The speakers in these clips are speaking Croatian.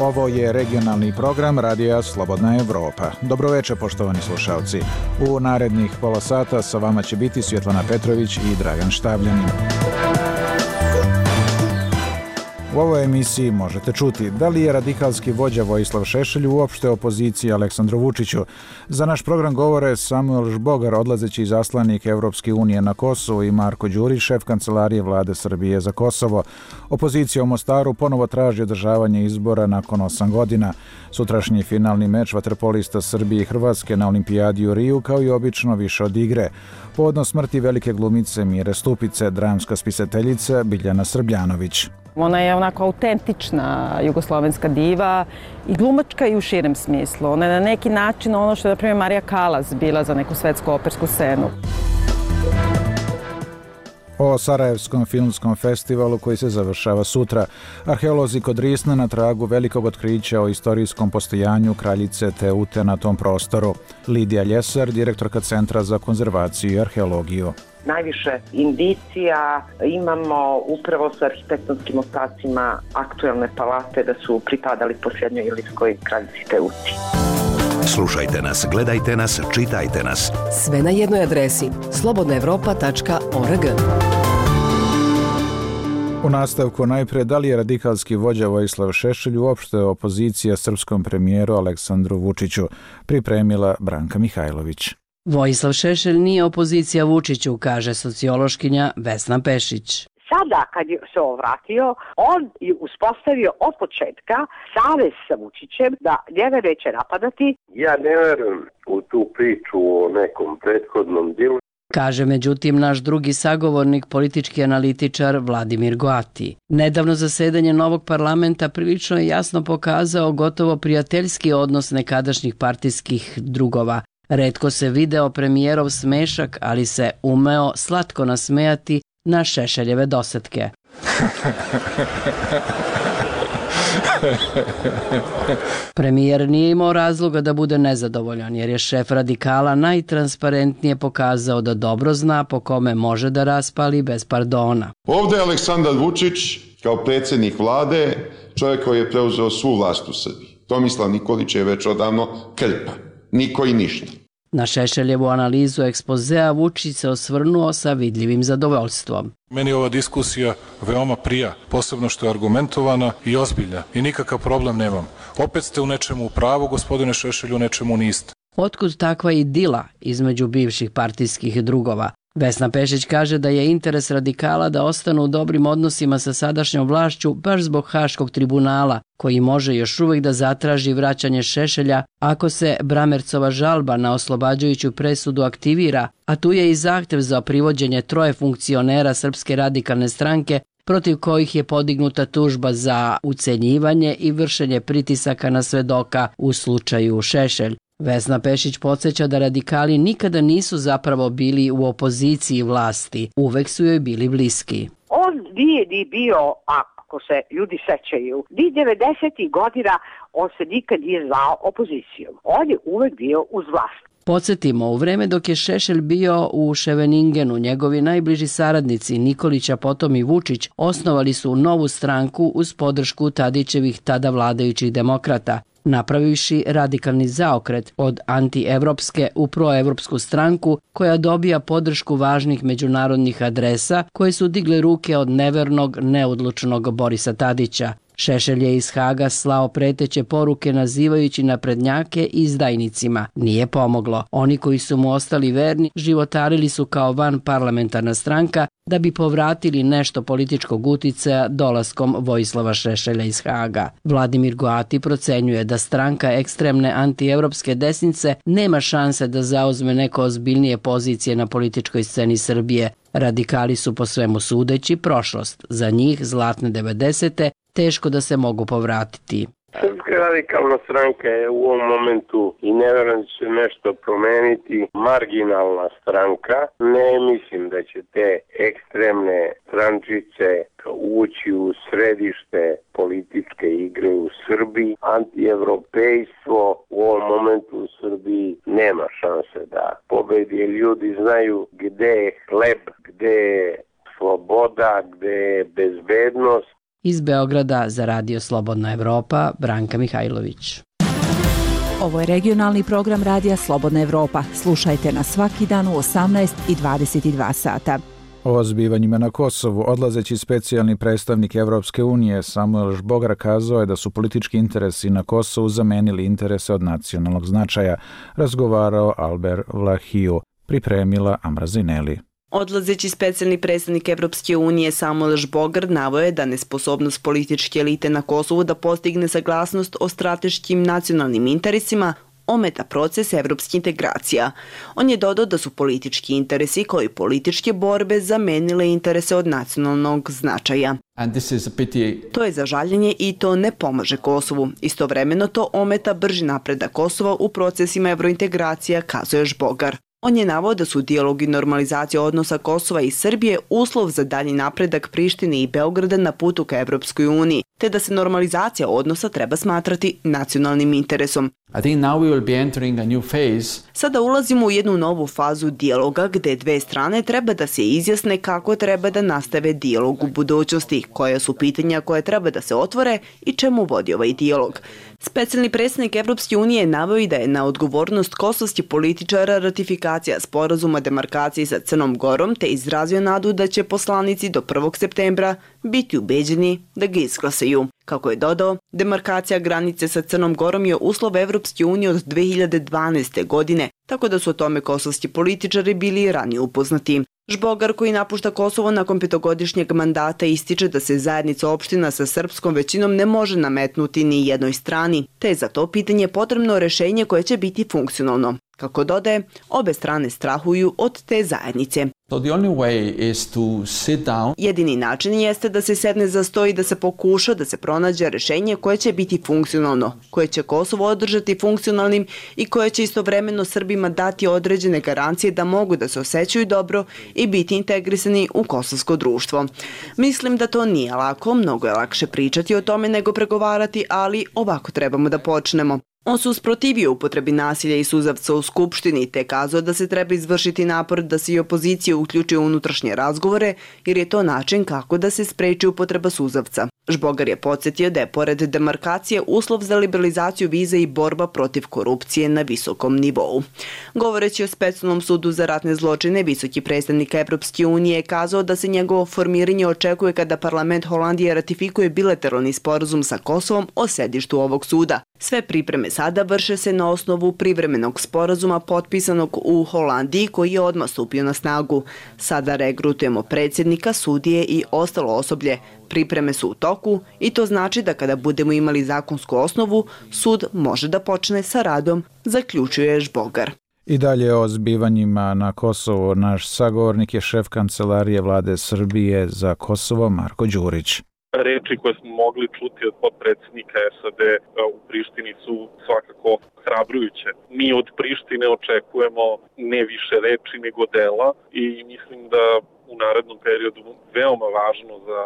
Ovo je regionalni program Radija Slobodna Evropa. Dobroveče, poštovani slušalci. U narednih pola sata sa vama će biti Svjetlana Petrović i Dragan Štavljanin. U ovoj emisiji možete čuti da li je radikalski vođa Vojislav Šešelj uopšte opoziciji Aleksandru Vučiću. Za naš program govore Samuel Žbogar, odlazeći izaslanik Evropske unije na Kosovo, i Marko Đurić, šef kancelarije vlade Srbije za Kosovo. Opozicija u Mostaru ponovo traži održavanje izbora nakon 8 godina. Sutrašnji finalni meč vaterpolista Srbije i Hrvatske na olimpijadi u Riju, kao i obično, više od igre. Povodom smrti velike glumice Mire Stupice, dramska spisateljica Biljana Srbljanović. Ona je onako autentična jugoslovenska diva i glumačka i u širem smislu. Ona je na neki način ono što je, na primjer, Marija Kalas bila za neku svetsku opersku scenu. O Sarajevskom filmskom festivalu koji se završava sutra. Arheolozi kod Risna na tragu velikog otkrića o istorijskom postojanju kraljice Teute na tom prostoru. Lidija Ljesar, direktorka Centra za konzervaciju i arheologiju. Najviše indicija imamo upravo sa arhitektonskim ostacima aktuelne palate da su pripadali posljednjoj ilirskoj kraljici Teuti. Slušajte nas, gledajte nas, čitajte nas. Sve na jednoj adresi slobodnaevropa.org. U nastavku najpre, da li je radikalski vođa Vojislav Šešelj uopšte opozicija srpskom premijeru Aleksandru Vučiću, pripremila Branka Mihajlović. Vojislav Šešelj nije opozicija Vučiću, kaže sociološkinja Vesna Pešić. Sada kad se vratio, on je uspostavio od početka savez sa Vučićem da njega neće napadati. Ja ne verujem u tu priču o nekom prethodnom djelu. Kaže međutim naš drugi sagovornik, politički analitičar Vladimir Goati. Nedavno zasedanje novog parlamenta prilično je jasno pokazao gotovo prijateljski odnos nekadašnjih partijskih drugova. Retko se video premijerov smešak, ali se umeo slatko nasmejati na Šešeljeve dosetke. Premijer nije imao razloga da bude nezadovoljan, jer je šef radikala najtransparentnije pokazao da dobro zna po kome može da raspali bez pardona. Ovdje je Aleksandar Vučić kao predsjednik vlade, čovjek koji je preuzeo svu vlast u Srbiji. Tomislav Nikolić je već odavno krpa. Niko i ništa. Na Šešeljevu analizu ekspozea Vučić se osvrnuo sa vidljivim zadovoljstvom. Meni ova diskusija veoma prija, posebno što je argumentovana i ozbiljna i nikakav problem nemam. Opet ste u nečemu u pravu, gospodine Šešelju, u nečemu niste. Otkud takva idila između bivših partijskih drugova? Vesna Pešić kaže da je interes radikala da ostanu u dobrim odnosima sa sadašnjom vlašću baš zbog Haškog tribunala, koji može još uvijek da zatraži vraćanje Šešelja ako se Bramercova žalba na oslobađajuću presudu aktivira, a tu je i zahtev za privođenje 3 funkcionera Srpske radikalne stranke protiv kojih je podignuta tužba za ucenjivanje i vršenje pritisaka na svedoka u slučaju Šešelj. Vesna Pešić podsjeća da radikali nikada nisu zapravo bili u opoziciji vlasti, uvek su joj bili bliski. On nije ni bio, ako se ljudi sećaju, ni 90. godina on se nikad nije zvao opozicijom. On je uvek bio uz vlast. Podsjetimo, u vreme dok je Šešelj bio u Ševeningenu, njegovi najbliži saradnici Nikolić, a potom i Vučić, osnovali su novu stranku uz podršku Tadićevih tada vladajućih demokrata, napravivši radikalni zaokret od antievropske u proevropsku stranku koja dobija podršku važnih međunarodnih adresa koje su digle ruke od nevernog, neodlučnog Borisa Tadića. Šešelj je iz Haga slao preteće poruke nazivajući naprednjake izdajnicima. Nije pomoglo. Oni koji su mu ostali verni životarili su kao van parlamentarna stranka da bi povratili nešto političkog uticaja dolaskom Vojislava Šešelja iz Haga. Vladimir Goati procenjuje da stranka ekstremne antievropske desnice nema šanse da zauzme neko ozbiljnije pozicije na političkoj sceni Srbije. Radikali su po svemu sudeći prošlost. Za njih zlatne 90. teško da se mogu povratiti. Srpska radikalna stranka je u ovom momentu i ne vjerujem da će nešto promeniti, marginalna stranka. Ne mislim da će te ekstremne strančice ući u središte političke igre u Srbiji. Antievropejstvo u ovom momentu u Srbiji nema šanse da pobedi. Ljudi znaju gde je hleb, gde je sloboda, gde je bezbednost. Iz Beograda za Radio Slobodna Evropa, Branka Mihajlović. Ovo je regionalni program Radija Slobodna Evropa. Slušajte nas svaki dan u 18 i 22 sata. O zbivanjima na Kosovu odlazeći specijalni predstavnik Evropske unije Samuel Žbogar kazao je da su politički interesi na Kosovu zamenili interese od nacionalnog značaja, razgovarao Albert Vlahiju, pripremila Amra Zineli. Odlazeći specijalni predstavnik Evropske unije Samuel Žbogar naveo je da nesposobnost političke elite na Kosovu da postigne saglasnost o strateškim nacionalnim interesima ometa proces evropskih integracija. On je dodao da su politički interesi kao i političke borbe zamenile interese od nacionalnog značaja. To je za žaljenje i to ne pomaže Kosovu. Istovremeno to ometa brži napredak Kosova u procesima evrointegracija, kazuje Žbogar. On je naveo da su dijalog i normalizacija odnosa Kosova i Srbije uslov za dalji napredak Prištine i Beograda na putu ka Evropskoj uniji, te da se normalizacija odnosa treba smatrati nacionalnim interesom. Sada ulazimo u jednu novu fazu dijaloga gde dve strane treba da se izjasne kako treba da nastave dijalog u budućnosti, koja su pitanja koje treba da se otvore i čemu vodi ovaj dijalog. Specijalni predstavnik Evropske unije naveo i da je na odgovornost kosovskih političara ratifikacija sporazuma demarkacije sa Crnom Gorom, te izrazio nadu da će poslanici do 1. septembra biti ubeđeni da ga izglasaju. Kako je dodao, demarkacija granice sa Crnom Gorom je uslov Evropske unije od 2012. godine, tako da su o tome kosovski političari bili ranije upoznati. Žbogar, koji napušta Kosovo nakon 5-godišnjeg mandata, ističe da se zajednica opština sa srpskom većinom ne može nametnuti ni jednoj strani, te je za to pitanje potrebno rešenje koje će biti funkcionalno. Kako dodaje, obe strane strahuju od te zajednice. Jedini način jeste da se sedne za sto i da se pokuša da se pronađe rešenje koje će biti funkcionalno, koje će Kosovo održati funkcionalnim i koje će istovremeno Srbima dati određene garancije da mogu da se osjećaju dobro i biti integrisani u kosovsko društvo. Mislim da to nije lako, mnogo je lakše pričati o tome nego pregovarati, ali ovako trebamo da počnemo. On se usprotivio upotrebi nasilja i suzavca u Skupštini te kazao da se treba izvršiti napor da se i opozicija uključi u unutrašnje razgovore jer je to način kako da se spreči upotreba suzavca. Žbogar je podsjetio da je pored demarkacije uslov za liberalizaciju viza i borba protiv korupcije na visokom nivou. Govoreći o specijalnom sudu za ratne zločine, visoki predstavnik Evropske unije je kazao da se njegovo formiranje očekuje kada parlament Holandije ratifikuje bilateralni sporazum sa Kosovom o sedištu ovog suda. Sve pripreme sada vrše se na osnovu privremenog sporazuma potpisanog u Holandiji koji je odmah stupio na snagu. Sada regrutujemo predsjednika, sudije i ostalo osoblje. Pripreme su u toku i to znači da kada budemo imali zakonsku osnovu, sud može da počne sa radom, zaključuje Žbogar. I dalje o zbivanjima na Kosovu naš sagovornik je šef kancelarije vlade Srbije za Kosovo Marko Đurić. Reči koje smo mogli čuti od potpredsjednika SAD u Prištini su svakako hrabrujuće. Mi od Prištine očekujemo ne više reči nego dela i mislim da u narednom periodu veoma važno za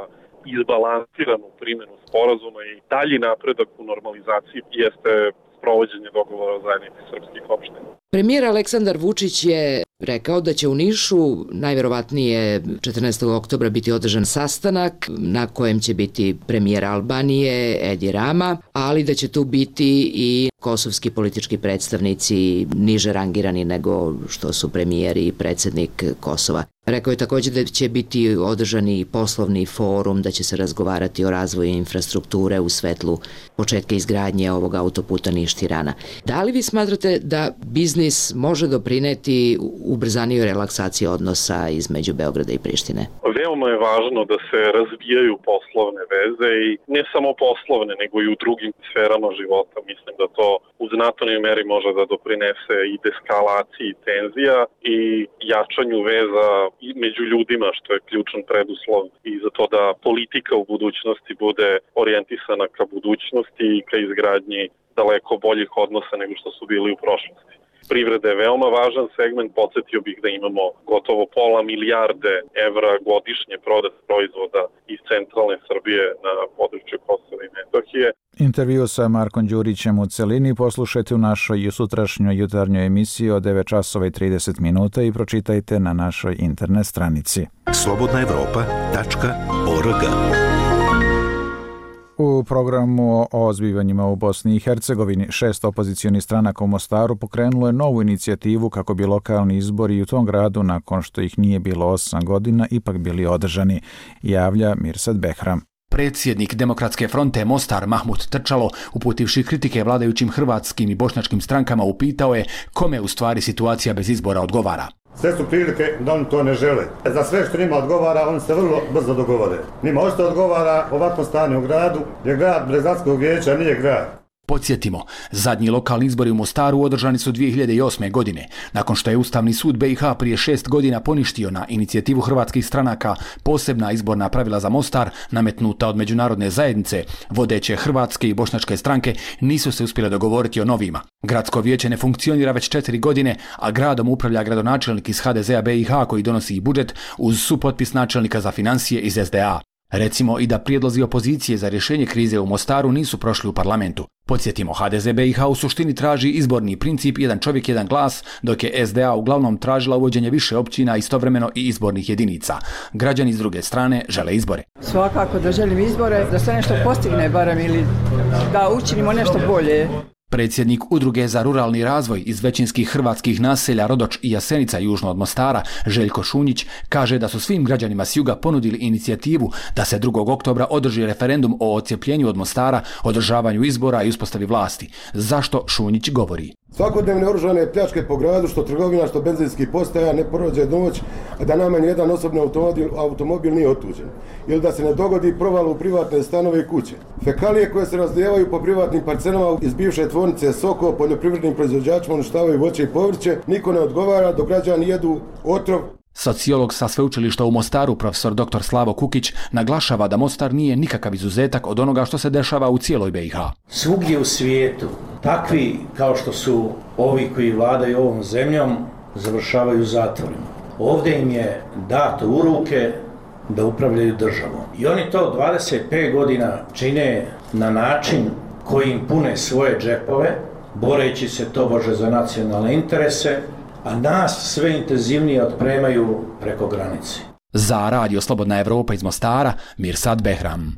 izbalansiranu primjenu sporazuma i dalji napredak u normalizaciji jeste sprovođenje dogovora o zajednici srpskih opština. Premijer Aleksandar Vučić je rekao da će u Nišu najverovatnije 14. oktobra biti održan sastanak na kojem će biti premijer Albanije Edi Rama, ali da će tu biti i kosovski politički predstavnici niže rangirani nego što su premijer i predsjednik Kosova. Rekao je također da će biti održani poslovni forum, da će se razgovarati o razvoju infrastrukture u svetlu početka izgradnje ovog autoputa Niš-Tirana. Da li vi smatrate da biznis može doprineti ubrzaniju relaksaciju odnosa između Beograda i Prištine? Veoma je važno da se razvijaju poslovne veze i ne samo poslovne, nego i u drugim sferama života. Mislim da to u znatnoj meri može da doprinese i deskalaciji tenzija i jačanju veza i među ljudima, što je ključan preduslov i za to da politika u budućnosti bude orijentisana ka budućnosti i ka izgradnji daleko boljih odnosa nego što su bili u prošlosti. Privreda je veoma važan segment, podsjetio bih da imamo gotovo $500 milijarde godišnje prodat proizvoda iz centralne Srbije na području Kosova i Metohije. Intervju sa Markom Đurićem u celini poslušajte u našoj sutrašnjoj jutarnjoj emisiji od 9:30 i pročitajte na našoj internet stranici. slobodnaevropa.org U programu o zbivanjima u Bosni i Hercegovini 6 opozicionih stranaka u Mostaru pokrenulo je novu inicijativu kako bi lokalni izbori u tom gradu, nakon što ih nije bilo 8 godina, ipak bili održani, javlja Mirsad Behram. Predsjednik Demokratske fronte Mostar Mahmut Trčalo, uputivši kritike vladajućim hrvatskim i bošnjačkim strankama, upitao je kome u stvari situacija bez izbora odgovara. Sve su prilike da oni to ne žele. Za sve što njima odgovara, oni se vrlo brzo dogovore. Njima ošto odgovara ovakvo stanje u gradu, jer grad bez gradskog vijeća nije grad. Podsjetimo, zadnji lokalni izbori u Mostaru održani su 2008. godine, nakon što je Ustavni sud BiH prije 6 godina poništio na inicijativu hrvatskih stranaka posebna izborna pravila za Mostar, nametnuta od međunarodne zajednice. Vodeće hrvatske i bošnjačke stranke nisu se uspjele dogovoriti o novima. Gradsko vijeće ne funkcionira već 4 godine, a gradom upravlja gradonačelnik iz HDZ-a BiH koji donosi i budžet uz supotpis načelnika za financije iz SDA. Recimo i da prijedlozi opozicije za rješenje krize u Mostaru nisu prošli u parlamentu. Podsjetimo, HDZ BiH u suštini traži izborni princip jedan čovjek, jedan glas, dok je SDA uglavnom tražila uvođenje više općina, istovremeno i izbornih jedinica. Građani s druge strane žele izbore. Svakako da želim izbore, da se nešto postigne barem ili da učinimo nešto bolje. Predsjednik Udruge za ruralni razvoj iz većinskih hrvatskih naselja Rodoč i Jasenica južno od Mostara, Željko Šunjić, kaže da su svim građanima s juga ponudili inicijativu da se 2. oktobra održi referendum o odcijepljenju od Mostara, održavanju izbora i uspostavi vlasti. Zašto Šunjić govori? Svakodnevne oružane pljačke po gradu, što trgovina, što benzinski postaja, ne prođe noć, a da najmanje jedan osobni automobil nije otuđen. Ili da se ne dogodi proval u privatne stanove i kuće. Fekalije koje se razlijevaju po privatnim parcelama iz bivše tvornice Soko, poljoprivrednim proizvođačima uništavaju voće i povrće, niko ne odgovara dok građani jedu otrov. Sociolog sa sveučilišta u Mostaru, profesor dr. Slavo Kukić, naglašava da Mostar nije nikakav izuzetak od onoga što se dešava u cijeloj BiH. Svugdje u svijetu, takvi kao što su ovi koji vladaju ovom zemljom, završavaju u zatvorima. Ovdje im je dato u ruke da upravljaju državom. I oni to 25 godina čine na način koji im pune svoje džepove, boreći se tobože za nacionalne interese, a nas sve intenzivnije otpremaju preko granice. Za Radio Slobodna Evropa iz Mostara, Mirsad Behram.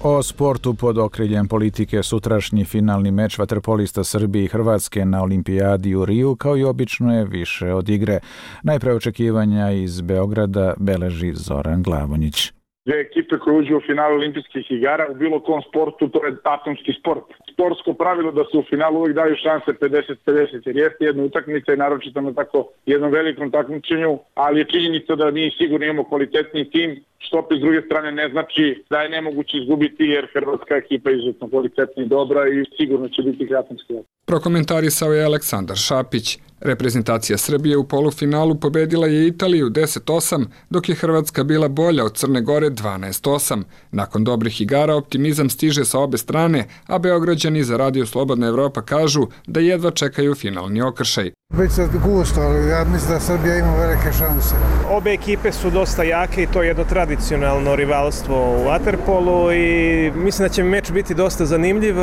O sportu pod okriljem politike sutrašnji finalni meč vaterpolista Srbije i Hrvatske na olimpijadi u Riju, kao i obično, je više od igre. Najpre očekivanja iz Beograda beleži Zoran Glavonjić. Dve ekipe koje uđu u finalu olimpijskih igara u bilo kom sportu, to je atomski sport. Sportsko pravilo da se u finalu uvijek daju šanse 50-50, jer jeste jedna utakmica i naročito na tako jednom velikom takmičenju, ali je činjenica da mi sigurno imamo kvalitetni tim, što opet s druge strane ne znači da je nemoguće izgubiti, jer hrvatska ekipa je izuzetno kvalitetna i dobra i sigurno će biti atomski. Prokomentarisao je Aleksandar Šapić. Reprezentacija Srbije u polufinalu pobedila je Italiju 10-8, dok je Hrvatska bila bolja od Crne Gore 12-8. Nakon dobrih igara optimizam stiže sa obe strane, a Beograđani za Radio Slobodna Evropa kažu da jedva čekaju finalni okršaj. Biće gusto, ali ja mislim da Srbija ima velike šanse. Obe ekipe su dosta jake i to je jedno tradicionalno rivalstvo u vaterpolu i mislim da će meč biti dosta zanimljiv.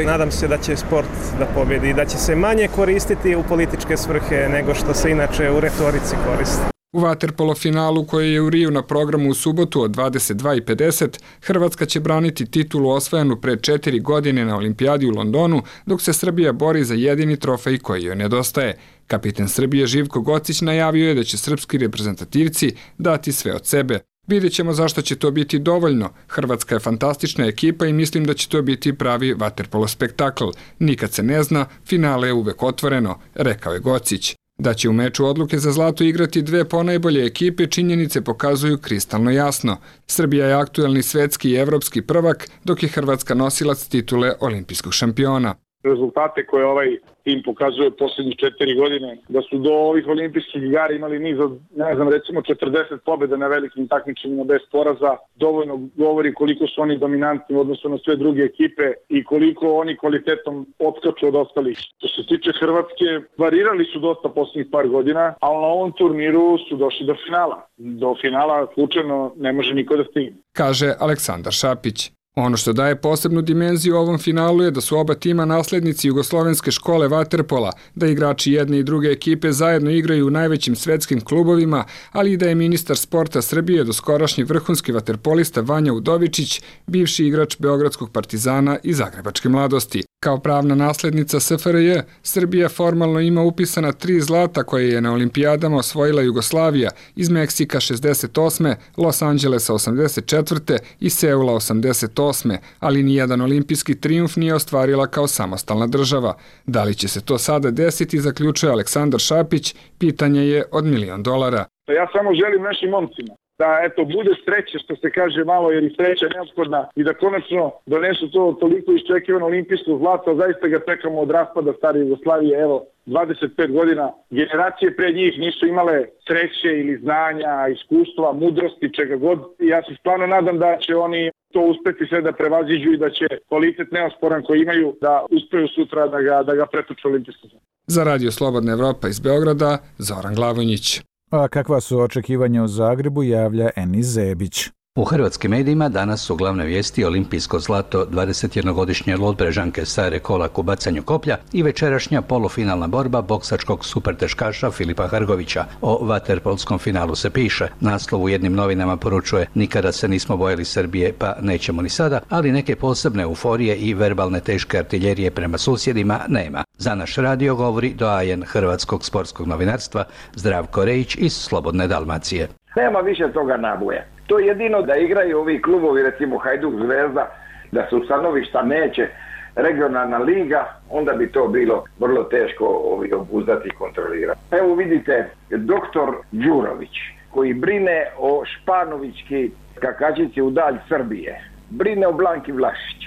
Nadam se da će sport da pobjedi i da će se manje koristiti u političke svrhe nego što se inače u retorici koristi. U vaterpolo finalu koji je u Riju na programu u subotu od 22:50, Hrvatska će braniti titulu osvojenu pre 4 godine na olimpijadi u Londonu, dok se Srbija bori za jedini trofej koji joj nedostaje. Kapiten Srbije Živko Gocić najavio je da će srpski reprezentativci dati sve od sebe. Vidjet ćemo zašto će to biti dovoljno. Hrvatska je fantastična ekipa i mislim da će to biti pravi vaterpolo spektakl. Nikad se ne zna, finale je uvek otvoreno, rekao je Gocić. Da će u meču odluke za zlato igrati dve ponajbolje ekipe, činjenice pokazuju kristalno jasno. Srbija je aktuelni svetski i evropski prvak, dok je Hrvatska nosilac titule olimpijskog šampiona. Rezultate koje ovaj tim pokazuje posljednjih 4 godine, da su do ovih olimpijskih igara imali niz od, recimo 40 pobjeda na velikim takmičenjima bez poraza, dovoljno govori koliko su oni dominantni u odnosu na sve druge ekipe i koliko oni kvalitetom odskaču od ostalih. Što se tiče Hrvatske, varirali su dosta posljednjih par godina, ali na ovom turniru su došli do finala. Do finala slučajno ne može niko da stigne. Kaže Aleksandar Šapić. Ono što daje posebnu dimenziju ovom finalu je da su oba tima naslednici jugoslovenske škole vaterpola, da igrači jedne i druge ekipe zajedno igraju u najvećim svetskim klubovima, ali i da je ministar sporta Srbije doskorašnji vrhunski vaterpolista Vanja Udovičić, bivši igrač Beogradskog Partizana i Zagrebačke Mladosti. Kao pravna naslednica SFRJ, Srbija formalno ima upisana 3 zlata koje je na olimpijadama osvojila Jugoslavija, iz Meksika 68., Los Angelesa 84. i Seula 88., ali nijedan olimpijski trijumf nije ostvarila kao samostalna država. Da li će se to sada desiti, zaključuje Aleksandar Šapić, pitanje je od $1 milion. Ja samo želim našim momcima da bude sreće, što se kaže malo, jer i sreća je neophodna i da konačno donesu to toliko iščekivano olimpijsko zlato, zaista ga čekamo od raspada stare Jugoslavije, 25 godina. Generacije pre njih nisu imale sreće ili znanja, iskustva, mudrosti, čega god. I ja se stvarno nadam da će oni to uspeti sve da prevaziđu i da će kvalitet neosporan koji imaju da uspeju sutra da ga pretuče olimpijsko zlato. Za Radio Slobodna Evropa iz Beograda, Zoran Glavonjić. A kakva su očekivanja u Zagrebu, javlja Enis Zebić. U hrvatskim medijima danas su glavne vijesti olimpijsko zlato 21-godišnje Lodbrežanke Sare Kolak u bacanju koplja i večerašnja polufinalna borba boksačkog superteškaša Filipa Hrgovića. O vaterpolskom finalu se piše. Naslov u jednim novinama poručuje: nikada se nismo bojali Srbije, pa nećemo ni sada, ali neke posebne euforije i verbalne teške artiljerije prema susjedima nema. Za naš radio govori doajen hrvatskog sportskog novinarstva Zdravko Rejić iz Slobodne Dalmacije. Nema više toga naboja. To je jedino da igraju ovi klubovi, recimo Hajduk, Zvezda, da su stanovišta neće regionalna liga, onda bi to bilo vrlo teško obuzdati i kontrolirati. Evo vidite, doktor Đurović, koji brine o Španovićki skakačici u dalj Srbije, brine o Blanki Vlašić.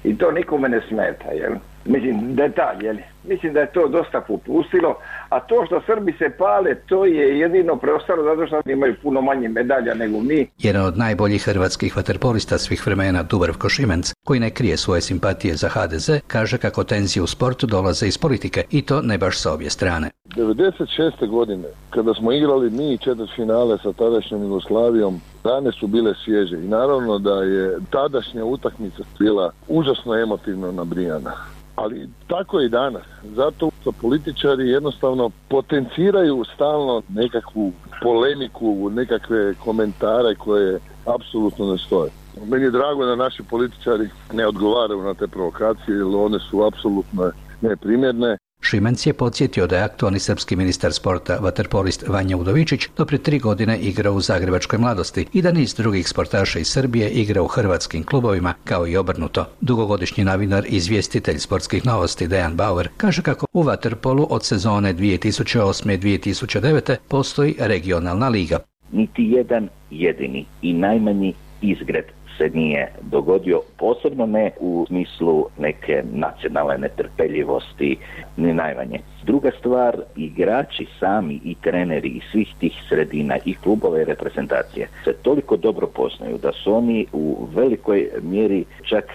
I to nikome ne smeta, jel? Mislim, detalj, jel? Mislim da je to dosta popustilo, a to što Srbi se pale, to je jedino preostalo zato što imaju puno manje medalja nego mi. Jedan od najboljih hrvatskih vaterpolista svih vremena, Dubravko Šimenc, koji ne krije svoje simpatije za HDZ, kaže kako tenzije u sportu dolaze iz politike, i to ne baš sa obje strane. 96. godine, kada smo igrali mi četvrtfinale sa tadašnjom Jugoslavijom, rane su bile svježe i naravno da je tadašnja utakmica bila užasno emotivno nabrijana. Ali tako je i danas. Zato političari jednostavno potenciraju stalno nekakvu polemiku, nekakve komentare koje apsolutno ne stoje. Meni je drago da naši političari ne odgovaraju na te provokacije, jer one su apsolutno neprimjerne. Šimenc je podsjetio da je aktualni srpski ministar sporta vaterpolist Vanja Udovičić do prije 3 godine igrao u Zagrebačkoj Mladosti i da niz drugih sportaša iz Srbije igra u hrvatskim klubovima, kao i obrnuto. Dugogodišnji novinar i izvjestitelj sportskih novosti Dejan Bauer kaže kako u vaterpolu od sezone 2008-2009 postoji regionalna liga. Niti jedan jedini i najmanji izgred se nije dogodio, posebno ne u smislu neke nacionalne netrpeljivosti, ni najmanje. Druga stvar, igrači sami i treneri iz svih tih sredina i klubove i reprezentacije se toliko dobro poznaju da su oni u velikoj mjeri, čak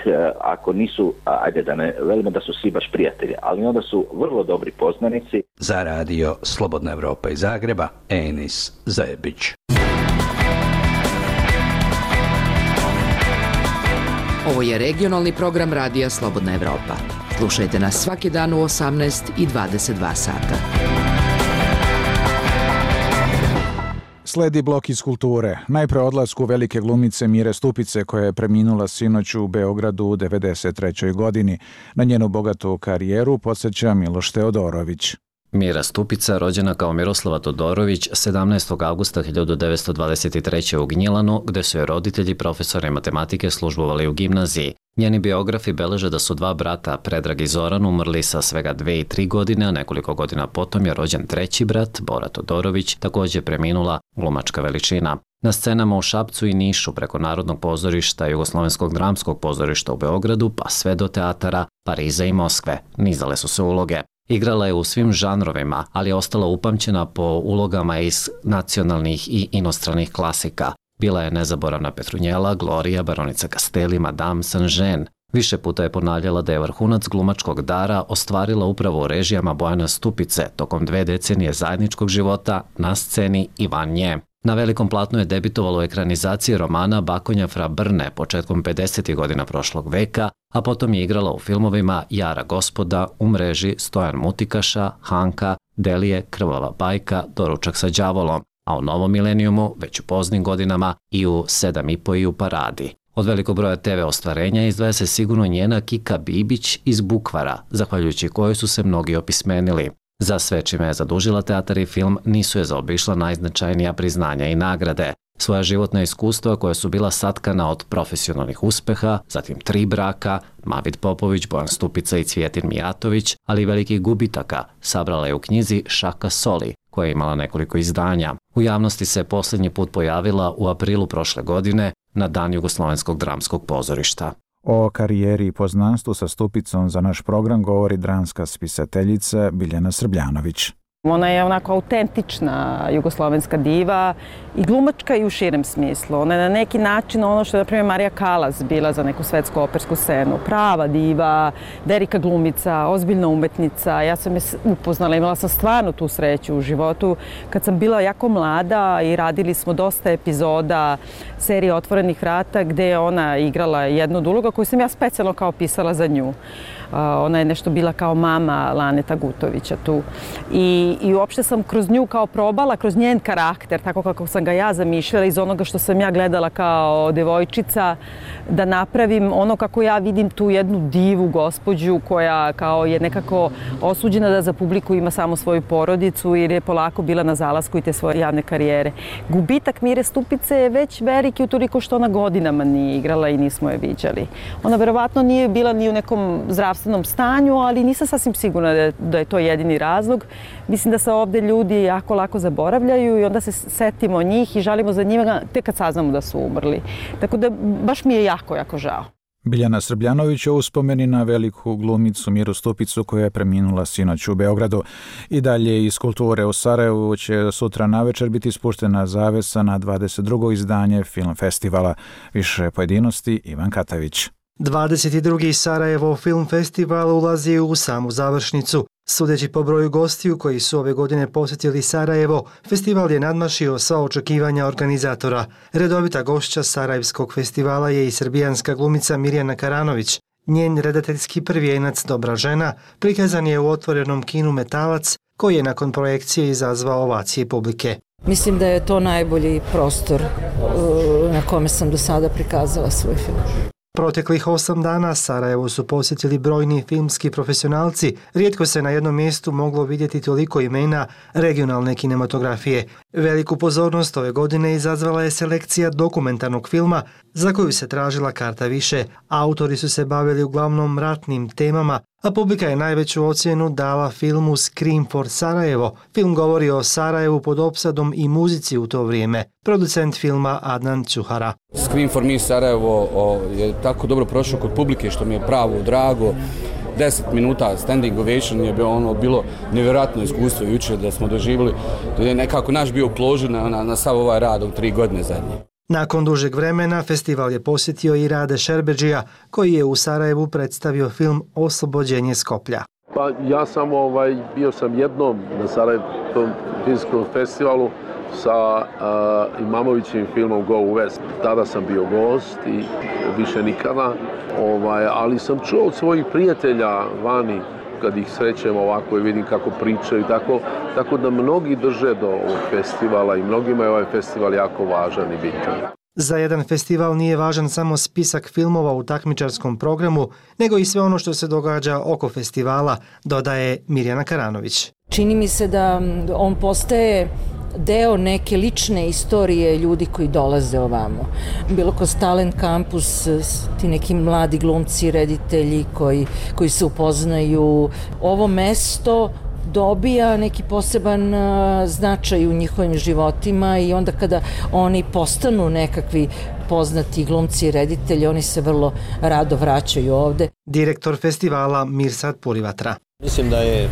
ako nisu, ajde da ne velimo da su svi baš prijatelji, ali onda su vrlo dobri poznanici. Za Radio Slobodna Evropa iz Zagreba, Enis Zebić. Ovo je regionalni program Radija Slobodna Evropa. Slušajte nas svaki dan u 18 i 22 sata. Sledi blok iz kulture. Najpre odlasku velike glumice Mire Stupice, koja je preminula sinoć u Beogradu u 93. godini. Na njenu bogatu karijeru podsjeća Miloš Teodorović. Mira Stupica, rođena kao Miroslava Todorović, 17. augusta 1923. u Gnjilanu, gde su joj roditelji profesori matematike službovali u gimnaziji. Njeni biografi beleže da su 2 brata, Predrag i Zoran, umrli sa svega 2 i 3 godine, a nekoliko godina potom je rođen 3. brat, Bora Todorović, također preminula glumačka veličina. Na scenama u Šapcu i Nišu, preko Narodnog pozorišta, Jugoslovenskog dramskog pozorišta u Beogradu, pa sve do teatara Pariza i Moskve, nizale su se uloge. Igrala je u svim žanrovima, ali je ostala upamćena po ulogama iz nacionalnih i inostranih klasika. Bila je nezaboravna Petrunjela, Gloria, baronica Castelli, Madame Saint-Jean. Više puta je ponavljala da je vrhunac glumačkog dara ostvarila upravo u režijama Bojana Stupice tokom 2 decenije zajedničkog života na sceni i van nje. Na velikom platnu je debitovalo u ekranizaciji romana Bakonja fra Brne početkom 50. godina prošlog veka, a potom je igrala u filmovima Jara gospoda, U mreži, Stojan Mutikaša, Hanka, Delije, Krvava bajka, Doručak sa đavolom, a u novom milenijumu, već u poznim godinama, i u 7,5 i u Paradi. Od velikog broja TV ostvarenja izdvaja se sigurno njena Kika Bibić iz Bukvara, zahvaljujući kojoj su se mnogi opismenili. Za sve čime je zadužila teatar i film nisu je zaobišla najznačajnija priznanja i nagrade. Svoja životna iskustva koja su bila satkana od profesionalnih uspeha, zatim 3 braka, Mavid Popović, Bojan Stupica i Cvjetin Mijatović, ali i velikih gubitaka, sabrala je u knjizi Šaka soli, koja je imala nekoliko izdanja. U javnosti se posljednji put pojavila u aprilu prošle godine na Dan Jugoslovenskog dramskog pozorišta. O karijeri i poznanstvu sa Stupicom za naš program govori dramska spisateljica Biljana Srbljanović. Ona je onako autentična jugoslovenska diva i glumačka i u širem smislu. Ona je na neki način ono što je, na primjer, Marija Kalas bila za neku svetsku opersku scenu. Prava diva, velika glumica, ozbiljna umetnica. Ja sam je upoznala, imala sam stvarno tu sreću u životu. Kad sam bila jako mlada i radili smo dosta epizoda serije Otvorenih vrata gdje je ona igrala jednu od uloga koju sam ja specijalno kao pisala za nju. Ona je nešto bila kao mama Laneta Gutovića tu. I uopšte sam kroz nju kao probala, kroz njen karakter, tako kako sam ga ja zamišljala, iz onoga što sam ja gledala kao devojčica, da napravim ono kako ja vidim tu jednu divu gospođu koja kao je nekako osuđena da za publiku ima samo svoju porodicu jer je polako bila na zalasku i te svoje javne karijere. Gubitak Mire Stupice je već veliki utoliko što ona godinama nije igrala i nismo je viđali. Ona verovatno nije bila ni u nekom zdravstvenom stanju, ali nisam sasvim sigurna da je to jedini razlog. Mislim da se ovdje ljudi jako lako zaboravljaju i onda se setimo njih i žalimo za njima tek kad saznamo da su umrli. Tako da baš mi je jako žao. Biljana Srbljanović o uspomeni na veliku glumicu Miru Stupicu koja je preminula sinoć u Beogradu. I dalje iz kulture u Sarajevu će sutra navečer biti spuštena zavesa na 22. izdanje film festivala. Više pojedinosti Ivan Katavić. 22. Sarajevo Film Festival ulazi u samu završnicu. Sudeći po broju gostiju koji su ove godine posjetili Sarajevo, festival je nadmašio sva očekivanja organizatora. Redovita gošća Sarajevskog festivala je i srbijanska glumica Mirjana Karanović. Njen redateljski prvijenac Dobra žena prikazan je u otvorenom kinu Metalac, koji je nakon projekcije izazvao ovacije publike. Mislim da je to najbolji prostor na kome sam do sada prikazala svoj film. Proteklih 8 dana Sarajevo su posjetili brojni filmski profesionalci. Rijetko se na jednom mjestu moglo vidjeti toliko imena regionalne kinematografije. Veliku pozornost ove godine izazvala je selekcija dokumentarnog filma za koju se tražila karta više. Autori su se bavili uglavnom ratnim temama, a publika je najveću ocjenu dala filmu Scream for Sarajevo. Film govori o Sarajevu pod opsadom i muzici u to vrijeme. Producent filma Adnan Čuhara. Scream for me Sarajevo je tako dobro prošao kod publike što mi je pravo drago. 10 minuta standing ovation je bilo nevjerojatno iskustvo jučer da smo doživjeli. To je nekako naš bio kložur na sav ovaj rad od 3 godine zadnje. Nakon dužeg vremena festival je posjetio i Rade Šerbedžija, koji je u Sarajevu predstavio film Oslobođenje Skoplja. Pa ja sam bio sam jednom na Sarajevskom filmskom festivalu sa Imamovićim filmom Go West. Tada sam bio gost i više nikada, ali sam čuo od svojih prijatelja vani kad ih srećem ovako i vidim kako pričaju, tako da mnogi drže do ovog festivala i mnogima je ovaj festival jako važan i bitan. Za jedan festival nije važan samo spisak filmova u takmičarskom programu, nego i sve ono što se događa oko festivala, dodaje Mirjana Karanović. Čini mi se da on postaje deo neke lične istorije ljudi koji dolaze ovamo. Bilo kroz Talent Campus, ti neki mladi glumci, reditelji koji se upoznaju. Ovo mesto dobija neki poseban značaj u njihovim životima i onda kada oni postanu nekakvi poznati glumci i reditelji, oni se vrlo rado vraćaju ovde. Direktor festivala Mirsad Purivatra. Mislim da je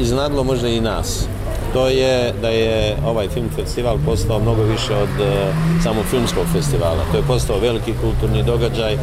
iznadlo možda i nas. To je da je ovaj film festival postao mnogo više od samog filmskog festivala. To je postao veliki kulturni događaj,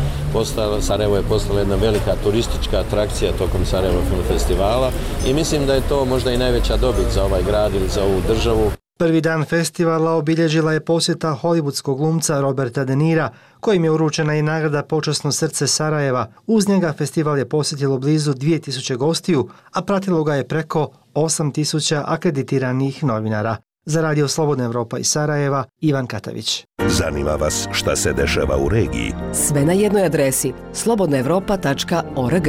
Sarajevo je postala jedna velika turistička atrakcija tokom Sarajevo film festivala i mislim da je to možda i najveća dobit za ovaj grad ili za ovu državu. Prvi dan festivala obilježila je posjeta hollywoodskog glumca Roberta De Nira, kojim je uručena i nagrada Počasno srce Sarajeva. Uz njega festival je posjetilo blizu 2000 gostiju, a pratilo ga je preko 8000 akreditiranih novinara. Za Radio Slobodna Evropa iz Sarajeva, Ivan Katavić. Zanima vas šta se dešava u regiji? Sve na jednoj adresi slobodnaevropa.org.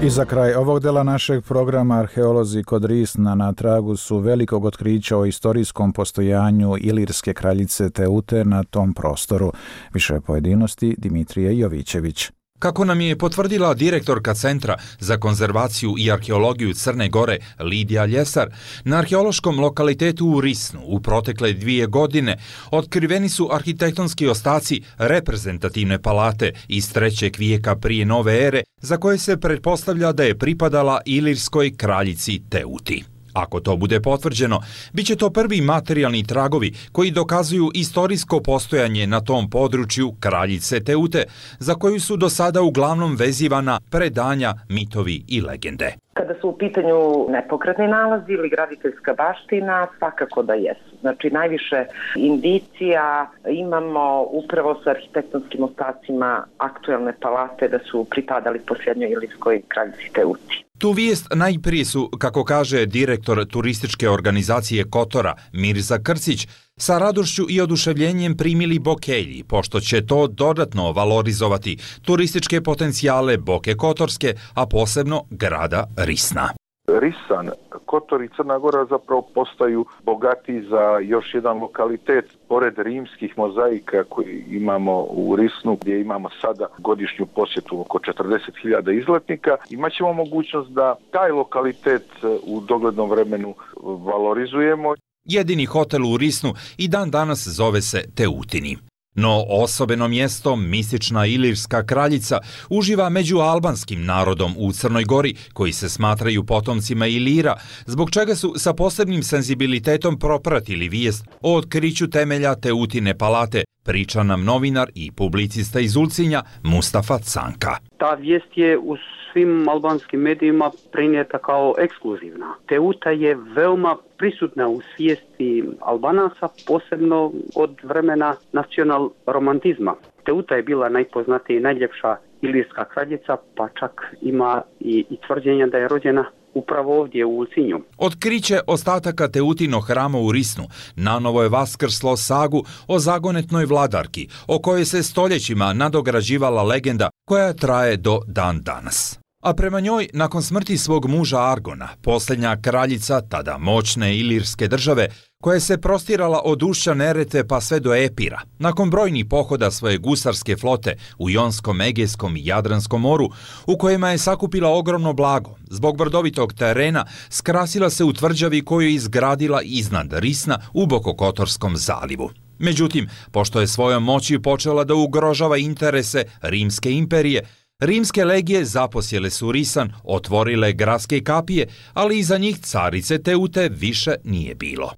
I za kraj ovog dela našeg programa arheolozi kod Risna na tragu su velikog otkrića o istorijskom postojanju ilirske kraljice Teute na tom prostoru. Više pojedinosti Dimitrije Jovićević. Kako nam je potvrdila direktorka Centra za konzervaciju i arheologiju Crne Gore Lidija Ljesar, na arheološkom lokalitetu u Risnu u protekle 2 godine otkriveni su arhitektonski ostaci reprezentativne palate iz 3. vijeka prije nove ere, za koje se pretpostavlja da je pripadala ilirskoj kraljici Teuti. Ako to bude potvrđeno, bit će to prvi materijalni tragovi koji dokazuju istorijsko postojanje na tom području kraljice Teute, za koju su do sada uglavnom vezivana predanja, mitovi i legende. Kada su u pitanju nepokretni nalazi ili graditeljska baština, svakako da jesu. Znači, najviše indicija imamo upravo sa arhitektonskim ostacima aktuelne palate da su pripadali posljednjoj ilirskoj kraljici Teuti. Tu vijest najprije su, kako kaže direktor turističke organizacije Kotora Mirza Krcić, sa radošću i oduševljenjem primili Bokelji, pošto će to dodatno valorizovati turističke potencijale Boke Kotorske, a posebno grada Risna. Risan, Kotor i Crna Gora zapravo postaju bogati za još jedan lokalitet pored rimskih mozaika koji imamo u Risnu, gdje imamo sada godišnju posjetu oko 40.000 izletnika. Imaćemo mogućnost da taj lokalitet u doglednom vremenu valorizujemo. Jedini hotel u Risnu i dan danas zove se Teutini. No osobeno mjesto, mistična ilirska kraljica, uživa među albanskim narodom u Crnoj Gori, koji se smatraju potomcima Ilira, zbog čega su sa posebnim senzibilitetom propratili vijest o otkriću temelja Teutine palate, priča nam novinar i publicista iz Ulcinja Mustafa Canka. Ta vijest je u svim albanskim medijima prenijeta kao ekskluzivna. Teuta je veoma prisutna u svijesti Albanaca, posebno od vremena nacional romantizma. Teuta je bila najpoznatija i najljepša ilirska kraljica, pa čak ima i tvrđenja da je rođena upravo ovdje u Ulcinju. Otkriće ostataka Teutinog hrama u Risnu nanovo je vaskrslo sagu o zagonetnoj vladarki, o kojoj se stoljećima nadograđivala legenda koja traje do dan danas. A prema njoj, nakon smrti svog muža Argona, posljednja kraljica tada moćne ilirske države, koja se prostirala od ušća Nerete pa sve do Epira, nakon brojnih pohoda svoje gusarske flote u Jonskom, Egejskom i Jadranskom moru, u kojima je sakupila ogromno blago, zbog brdovitog terena skrasila se u tvrđavi koju je izgradila iznad Risna u Bokokotorskom zalivu. Međutim, pošto je svojom moći počela da ugrožava interese Rimske imperije, rimske legije zaposjele su Risan, otvorile gradske kapije, ali iza njih carice Teute više nije bilo.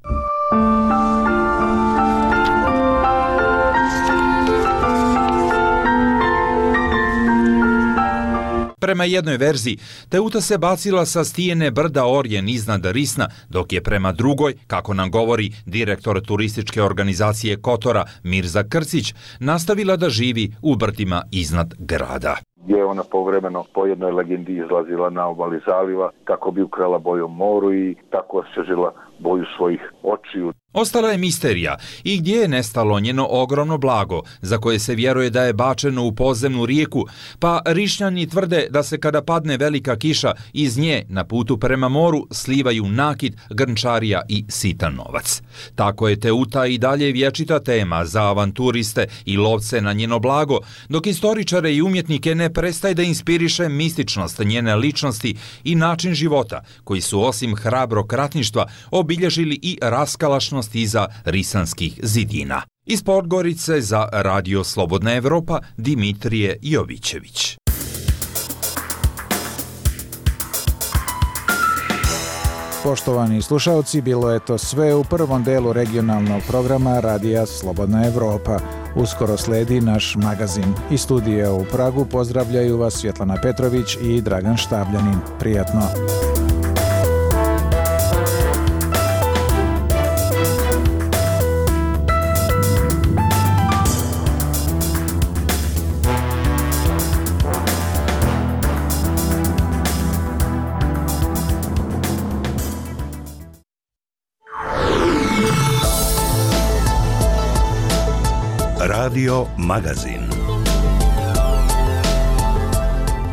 Prema jednoj verziji, Teuta se bacila sa stijene brda Orjen iznad Risna, dok je prema drugoj, kako nam govori direktor turističke organizacije Kotora Mirza Krcić, nastavila da živi u brdima iznad grada. Gdje je ona povremeno po jednoj legendi izlazila na obali zaliva kako bi ukrala bojom moru i tako osvježila boju svojih očiju. Ostala je misterija i gdje je nestalo njeno ogromno blago, za koje se vjeruje da je bačeno u podzemnu rijeku, pa Rišnjani tvrde da se kada padne velika kiša iz nje na putu prema moru slivaju nakit, grnčarija i sitan novac. Tako je Teuta i dalje vječita tema za avanturiste i lovce na njeno blago, dok istoričare i umjetnike ne prestaje da inspiriše mističnost njene ličnosti i način života, koji su osim hrabrog ratništva obilježili i raskalašnost iza risanskih zidina. Iz Podgorice za Radio Slobodna Evropa, Dimitrije Jovićević. Poštovani slušalci, bilo je to sve u prvom delu regionalnog programa Radija Slobodna Evropa. Uskoro sledi naš magazin. Iz studija u Pragu pozdravljaju vas Svjetlana Petrović i Dragan Štabljanin. Prijatno! Radio Magazin.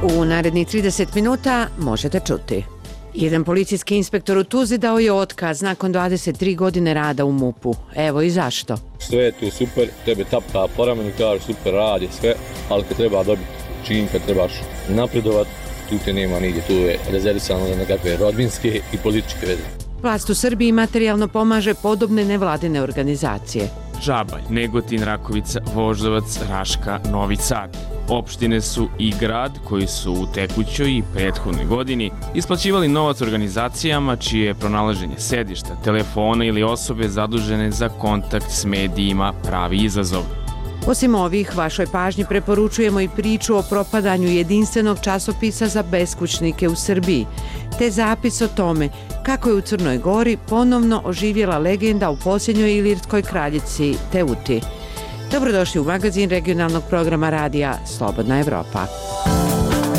U narednih 30 minuta možete čuti. Jedan policijski inspektor u Tuzli dao je otkaz nakon 23 godine rada u MUP-u. Evo i zašto. Sve je tu super, tebe tapka po ramenu, kaže super radi sve, ali kad treba dobiti čin, kad trebaš napredovat, tu te nema nigdje, tu je rezervisano za nekakve rodbinske i političke veze. Vlast u Srbiji materijalno pomaže podobne nevladine organizacije. Žabalj, Negotin, Rakovica, Voždovac, Raška, Novi Sad. Opštine su i grad koji su u tekućoj i prethodnoj godini isplaćivali novac organizacijama čije je pronalaženje sedišta, telefona ili osobe zadužene za kontakt s medijima pravi izazov. Osim ovih, vašoj pažnji preporučujemo i priču o propadanju jedinstvenog časopisa za beskućnike u Srbiji, te zapis o tome kako je u Crnoj Gori ponovno oživjela legenda u posljednjoj ilirskoj kraljici Teuti. Dobrodošli u magazin regionalnog programa radija Slobodna Evropa.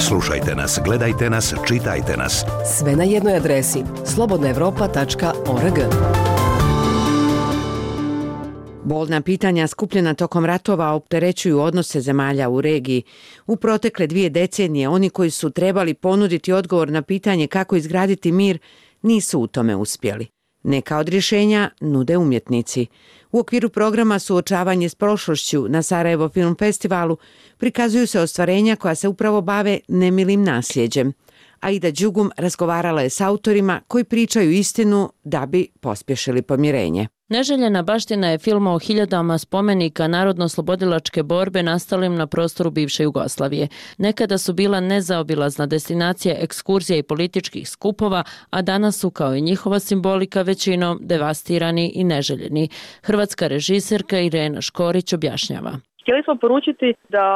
Slušajte nas, gledajte nas, čitajte nas. Sve na jednoj adresi slobodnaevropa.org. Bolna pitanja skupljena tokom ratova opterećuju odnose zemalja u regiji. U protekle 2 decenije oni koji su trebali ponuditi odgovor na pitanje kako izgraditi mir nisu u tome uspjeli. Neka od rješenja nude umjetnici. U okviru programa Suočavanje s prošlošću na Sarajevo Film Festivalu prikazuju se ostvarenja koja se upravo bave nemilim nasljeđem. Aida Đugum razgovarala je s autorima koji pričaju istinu da bi pospješili pomirenje. Neželjena baština je film o hiljadama spomenika narodno-slobodilačke borbe nastalim na prostoru bivše Jugoslavije. Nekada su bila nezaobilazna destinacija ekskurzija i političkih skupova, a danas su kao i njihova simbolika većinom devastirani i neželjeni. Hrvatska režiserka Irena Škorić objašnjava. Htjeli smo poručiti da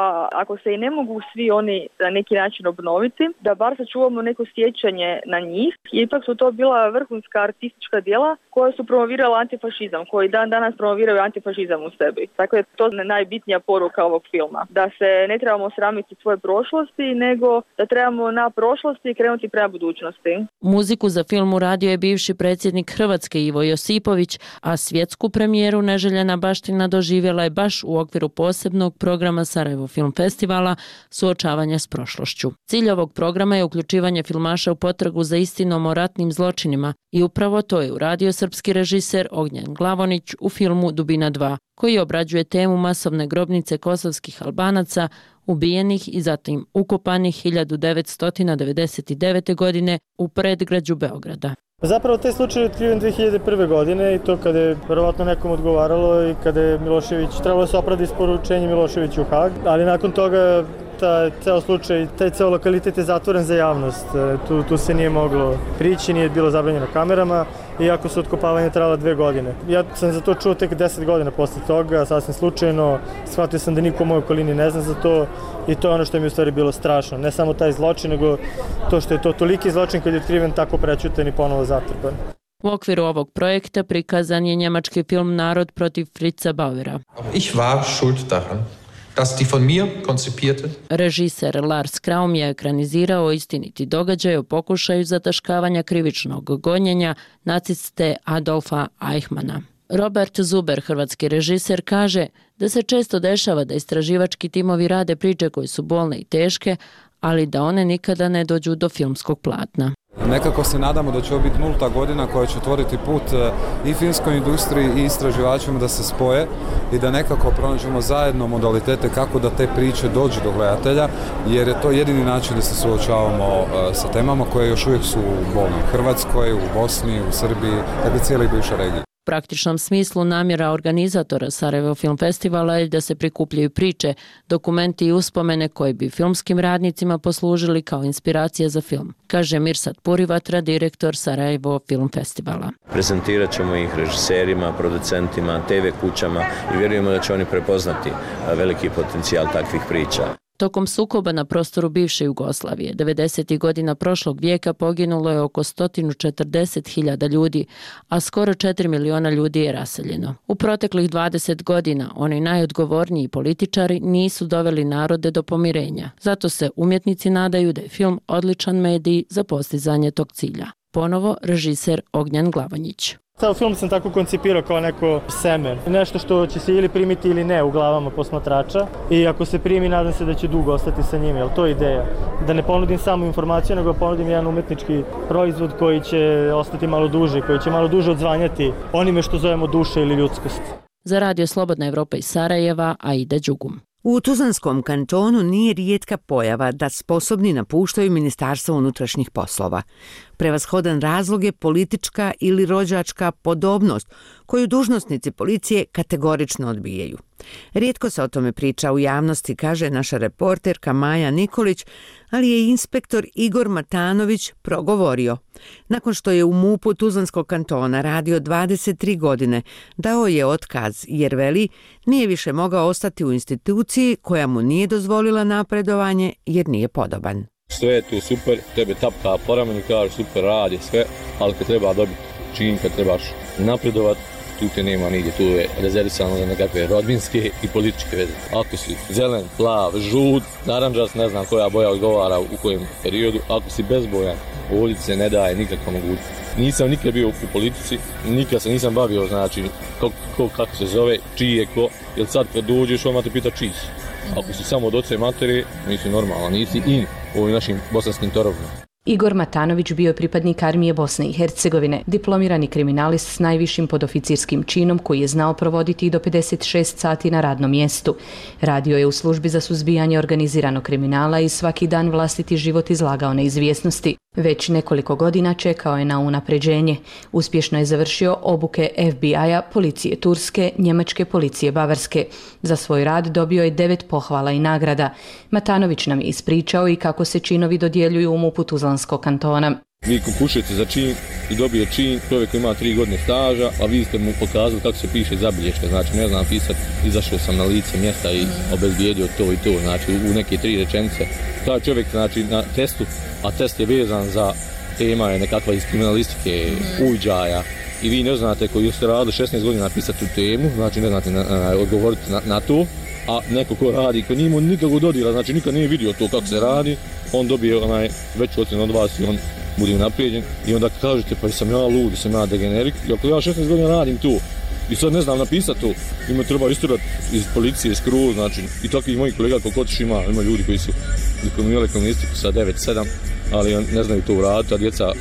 ako se i ne mogu svi oni na neki način obnoviti, da bar sačuvamo neko sjećanje na njih. Ipak su to bila vrhunska artistička djela koja su promovirala antifašizam, koji dan danas promoviraju antifašizam u sebi. Tako je to najbitnija poruka ovog filma. Da se ne trebamo sramiti svoje prošlosti, nego da trebamo na prošlosti krenuti prema budućnosti. Muziku za film uradio je bivši predsjednik Hrvatske Ivo Josipović, a svjetsku premijeru Neželjena baština doživjela je baš u okviru posebnog programa Sarajevo Film Festivala Suočavanje s prošlošću. Cilj ovog programa je uključivanje filmaša u potragu za istinom o ratnim zločinima i upravo to je uradio srpski režiser Ognjen Glavonić u filmu Dubina 2, koji obrađuje temu masovne grobnice kosovskih Albanaca ubijenih i zatim ukopanih 1999. godine u predgrađu Beograda. Zapravo taj slučaj je otkriven 2001. godine i to kada je verovatno nekom odgovaralo i kada je Milošević, trebalo se opravda isporučenje Miloševiću u Hag, ali nakon toga ceo slučaj, taj ceo lokalitet je zatvoren za javnost. Tu se nije moglo prići, nije bilo zabranjeno kamerama, iako su otkopavanje trajala 2 godine. Ja sam za to čuo tek 10 godina posle toga, sasvim slučajno, shvatio sam da niko u mojoj okolini ne zna za to i to je ono što mi u stvari bilo strašno. Ne samo taj zločin, nego to što je to toliki zločin kad je otkriven tako prečutan i ponovo zatrpan. U okviru ovog projekta prikazan je njemački film Narod protiv Fritza Bauera. Ich war schuld daran, dass die von mir konzipierte... Režiser Lars Kraum je ekranizirao istiniti događaj o pokušaju zataškavanja krivičnog gonjenja naciste Adolfa Eichmanna. Robert Zuber, hrvatski režiser, kaže da se često dešava da istraživački timovi rade priče koje su bolne i teške, ali da one nikada ne dođu do filmskog platna. Nekako se nadamo da će ovo biti 0. godina koja će otvoriti put i filmskoj industriji i istraživačima da se spoje i da nekako pronađemo zajedno modalitete kako da te priče dođu do gledatelja, jer je to jedini način da se suočavamo sa temama koje još uvijek su bolne u Hrvatskoj, u Bosni, u Srbiji, dakle cijeloj bivšoj regiji. U praktičnom smislu namjera organizatora Sarajevo Film Festivala je da se prikupljaju priče, dokumenti i uspomene koji bi filmskim radnicima poslužili kao inspiracija za film, kaže Mirsad Purivatra, direktor Sarajevo Film Festivala. Prezentirat ćemo ih režiserima, producentima, TV kućama i vjerujemo da će oni prepoznati veliki potencijal takvih priča. Tokom sukoba na prostoru bivše Jugoslavije, 90. godina prošlog vijeka poginulo je oko 140.000 ljudi, a skoro 4 miliona ljudi je raseljeno. U proteklih 20 godina oni najodgovorniji političari nisu doveli narode do pomirenja. Zato se umjetnici nadaju da je film odličan medij za postizanje tog cilja. Ponovo režiser Ognjen Glavonjić. Ceo film sam tako koncipirao kao neko seme. Nešto što će se ili primiti ili ne u glavama posmatrača. I ako se primi, nadam se da će dugo ostati sa njim, jer to je ideja. Da ne ponudim samo informaciju, nego ponudim jedan umetnički proizvod koji će ostati malo duže, koji će malo duže odzvanjati onime što zovemo duša ili ljudskost. Za Radio Slobodna Evropa iz Sarajeva, Aida Đugum. U Tuzlanskom kantonu nije rijetka pojava da sposobni napuštaju Ministarstvo unutrašnjih poslova. Prevashodan razlog je politička ili rođačka podobnost koju dužnosnici policije kategorično odbijaju. Rijetko se o tome priča u javnosti, kaže naša reporterka Maja Nikolić, ali je inspektor Igor Matanović progovorio. Nakon što je u MUP-u Tuzlanskog kantona radio 23 godine, dao je otkaz jer veli nije više mogao ostati u instituciji koja mu nije dozvolila napredovanje jer nije podoban. Sve je tu super, tebe tapka po ramenu, kaže super, radi sve, ali kad treba dobiti čin, kad trebaš napredovat, tu te nema nigdje, tu je rezervisano za nekakve rodbinske i političke veze. Ako si zelen, plav, žut, naranđast, ne znam koja boja odgovara u kojem periodu, ako si bezbojan, ovdje se ne daje nikakva mogućnost. Nisam nikad bio u politici, nikad se nisam bavio, znači, kako se zove, čiji je ko, jer sad kad dođeš, odmah te pita čiji si. Ako si samo od oce matere, nisi normalan, nisi in u ovim našim bosanskim torovima. Igor Matanović bio je pripadnik armije Bosne i Hercegovine, diplomirani kriminalist s najvišim podoficirskim činom koji je znao provoditi i do 56 sati na radnom mjestu. Radio je u službi za suzbijanje organiziranog kriminala i svaki dan vlastiti život izlagao neizvjesnosti. Već nekoliko godina čekao je na unapređenje. Uspješno je završio obuke FBI-a, policije Turske, njemačke policije Bavarske. Za svoj rad dobio je 9 pohvala i nagrada. Matanović nam je ispričao i kako se činovi dodjeljuju u MUP-u Tuzlanskog kantona. Vi konkursujete za čin i dobije čin, čovjek ima 3 godine staža, a vi ste mu pokazali kako se piše zabilješka. Znači, ne znam pisati, izašao sam na lice mjesta i obezbijedio to i to, znači u neke 3 rečenice. Taj čovjek, znači, na testu, a test je vezan za tema je nekakva iz kriminalistike, uviđaja, i vi ne znate koji ste radili 16 godina napisati tu temu, znači ne znate odgovoriti na to, a neko ko radi, ko nije mu nikakvog dodira, znači nikad nije vidio to kako se radi, on dobije veću ocjenu od vas i on bude unaprijeđen i onda kažete pa sam ja lud, sam ja degenerik, i ako ja 16 godina radim tu i sad ne znam napisati to, ima treba isturati iz policije, skroz, znači i takvih mojih kolega koliko otiš ima ljudi koji su diplomirali kriminalistiku sa 9-7, ali ne znaju to uraditi, a djeca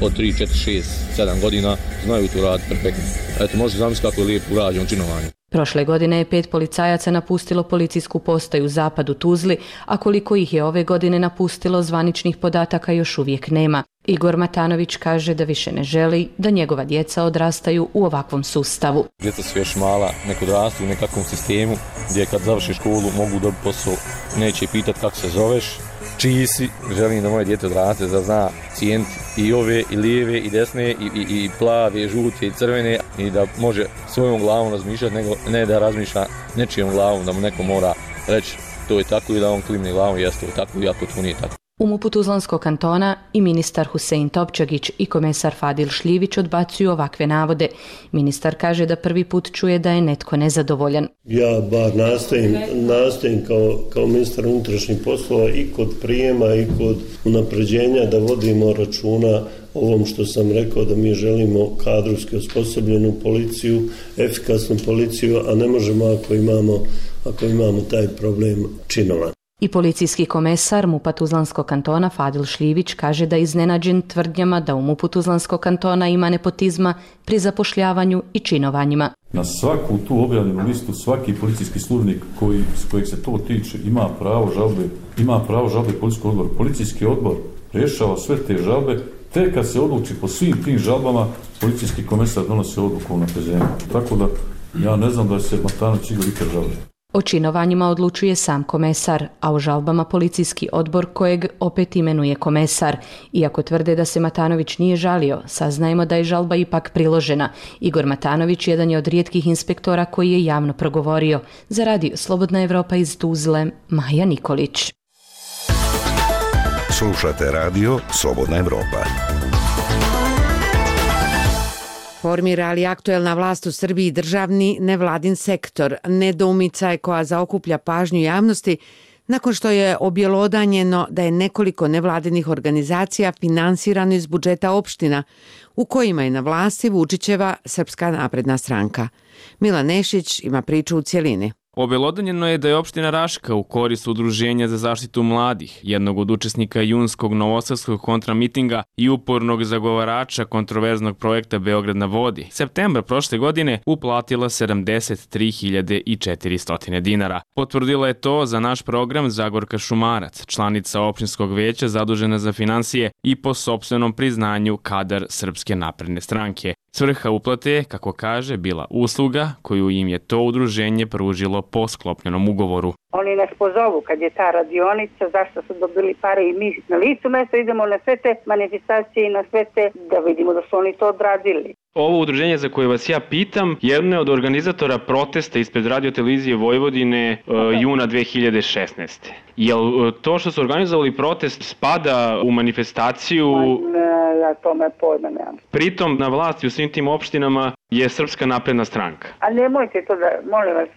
od 3, 4, 6, 7 godina znaju to uraditi perfektno. Eto, možete zamisliti kako je lijepo urađeno činovanje. Prošle godine je 5 policajaca napustilo policijsku postaju Zapad u Tuzli, a koliko ih je ove godine napustilo, zvaničnih podataka još uvijek nema. Igor Matanović kaže da više ne želi da njegova djeca odrastaju u ovakvom sustavu. Djeca su još mala, nek odrastu u nekakvom sistemu gdje kad završi školu mogu dobiti posao, neće pitati kako se zoveš, čiji si. Želim da moje djete odraste, da zna cijeniti i ove, i lijeve, i desne, i plave, i žute, i crvene, i da može svojom glavom razmišljati, nego ne da razmišlja nečijom glavom, da mu neko mora reći to je tako i da on klimne glavom, jeste to tako, iako to nije tako. U MUP-u Tuzlanskog kantona i ministar Husein Topčagić i komesar Fadil Šljivić odbacuju ovakve navode. Ministar kaže da prvi put čuje da je netko nezadovoljan. Ja bar nastojim kao ministar unutrašnjih poslova i kod prijema i kod unapređenja da vodimo računa ovom što sam rekao, da mi želimo kadrovski osposobljenu policiju, efikasnu policiju, a ne možemo ako imamo taj problem činova. I policijski komesar MUP-a Tuzlanskog kantona Fadil Šljivić kaže da je iznenađen tvrdnjama da u MUP-u Tuzlanskog kantona ima nepotizma pri zapošljavanju i činovanjima. Na svaku tu objavljenu listu svaki policijski službenik kojeg se to tiče ima pravo žalbe policijskog odbora. Policijski odbor rješava sve te žalbe, te kad se odluči po svim tim žalbama, policijski komesar donosi odluku o unapređenju. Tako da ja ne znam da se Matanović Igor ikad žalbe. O činovanjima odlučuje sam komesar, a o žalbama policijski odbor kojeg opet imenuje komesar. Iako tvrde da se Matanović nije žalio, saznajemo da je žalba ipak priložena. Igor Matanović jedan je od rijetkih inspektora koji je javno progovorio. Za Radio Slobodna Evropa iz Tuzle, Maja Nikolić. Slušate Radio Slobodna Evropa. Formira li aktuelna vlast u Srbiji državni nevladin sektor? Nedoumica je koja zaokuplja pažnju javnosti Nakon što je objelodanjeno da je nekoliko nevladinih organizacija finansirano iz budžeta opština, u kojima je na vlasti Vučićeva Srpska napredna stranka. Milan Nešić ima priču u cjelini. Obelodanjeno je da je opština Raška u korist Udruženja za zaštitu mladih, jednog od učesnika junskog novosadskog kontramitinga i upornog zagovarača kontroverznog projekta Beograd na vodi, septembra prošle godine uplatila 73.400 dinara. Potvrdila je to za naš program Zagorka Šumarac, članica opštinskog veća zadužena za finansije i po sopstvenom priznanju kadar Srpske napredne stranke. Svrha uplate je, kako kaže, bila usluga koju im je to udruženje pružilo po sklopljenom ugovoru. Oni nas pozovu kad je ta radionica, zašto su dobili pare i mi na licu mesta idemo na sve te manifestacije i na sve te da vidimo da su oni to odradili. Ovo udruženje za koje vas ja pitam, jedno je od organizatora protesta ispred radiotelevizije Vojvodine juna 2016. Jel to što su organizovali protest spada u manifestaciju? Ja tome pojma nemam. Pritom na vlasti u svim tim opštinama je Srpska napredna stranka. A nemojte to da, molim vas,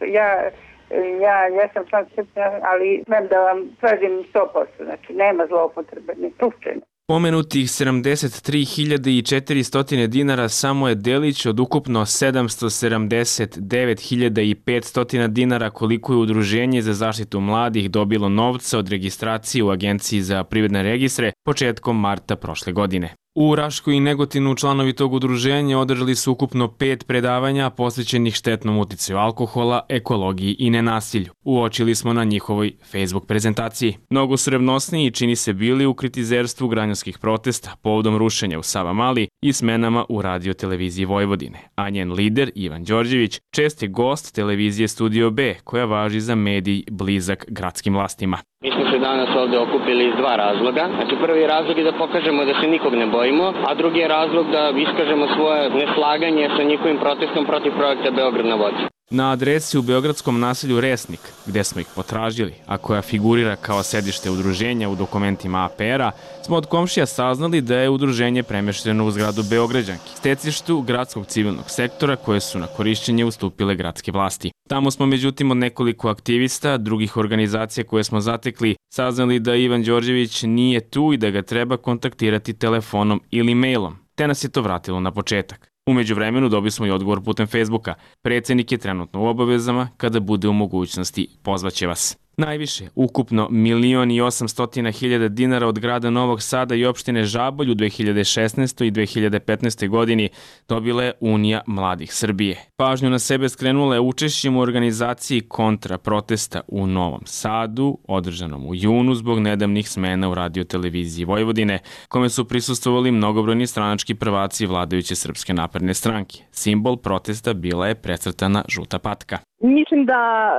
ja sam član Srpske, ali smem da vam tvrdim 100%, znači nema zloupotrebe, ni slučajno. Pomenutih 73.400 dinara samo je delić od ukupno 779.500 dinara koliko je Udruženje za zaštitu mladih dobilo novca od registracije u Agenciji za privredne registre početkom marta prošle godine. U Raškoj i Negotinu članovi tog udruženja održali su ukupno 5 predavanja posvećenih štetnom uticaju alkohola, ekologiji i nenasilju. Uočili smo na njihovoj Facebook prezentaciji. Mnogo su revnosniji čini se bili u kritizerstvu građanskih protesta povodom rušenja u Savamali i smenama u radioteleviziji Vojvodine. A njen lider, Ivan Đorđević, čest je gost televizije Studio B, koja važi za medij blizak gradskim vlastima. Mi smo se danas ovde okupili iz dva razloga. Znači, prvi razlog je da pokažemo da se nikog ne bojimo, a drugi je razlog da iskažemo svoje neslaganje sa njihovim protestom protiv projekta Beograd na vodi. Na adresi u beogradskom naselju Resnik, gde smo ih potražili, a koja figurira kao sedište udruženja u dokumentima APR-a, smo od komšija saznali da je udruženje premešteno u zgradu Beograđanki, stecištu gradskog civilnog sektora koje su na korišćenje ustupile gradske vlasti. Tamo smo međutim od nekoliko aktivista, drugih organizacija koje smo zatekli, saznali da Ivan Đorđević nije tu i da ga treba kontaktirati telefonom ili mailom, te nas je to vratilo na početak. U međuvremenu dobili smo i odgovor putem Facebooka. Predsednik je trenutno u obavezama, kada bude u mogućnosti pozvaće vas. Najviše, ukupno 1.800.000 dinara od grada Novog Sada i opštine Žabolj u 2016. i 2015. godini dobila je Unija mladih Srbije. Pažnju na sebe skrenula je učešćem u organizaciji kontra protesta u Novom Sadu, održanom u junu zbog nedavnih smena u radioteleviziji Vojvodine, kome su prisustvovali mnogobrojni stranački prvaci vladajuće Srpske napredne stranke. Simbol protesta bila je precrtana žuta patka. Mislim da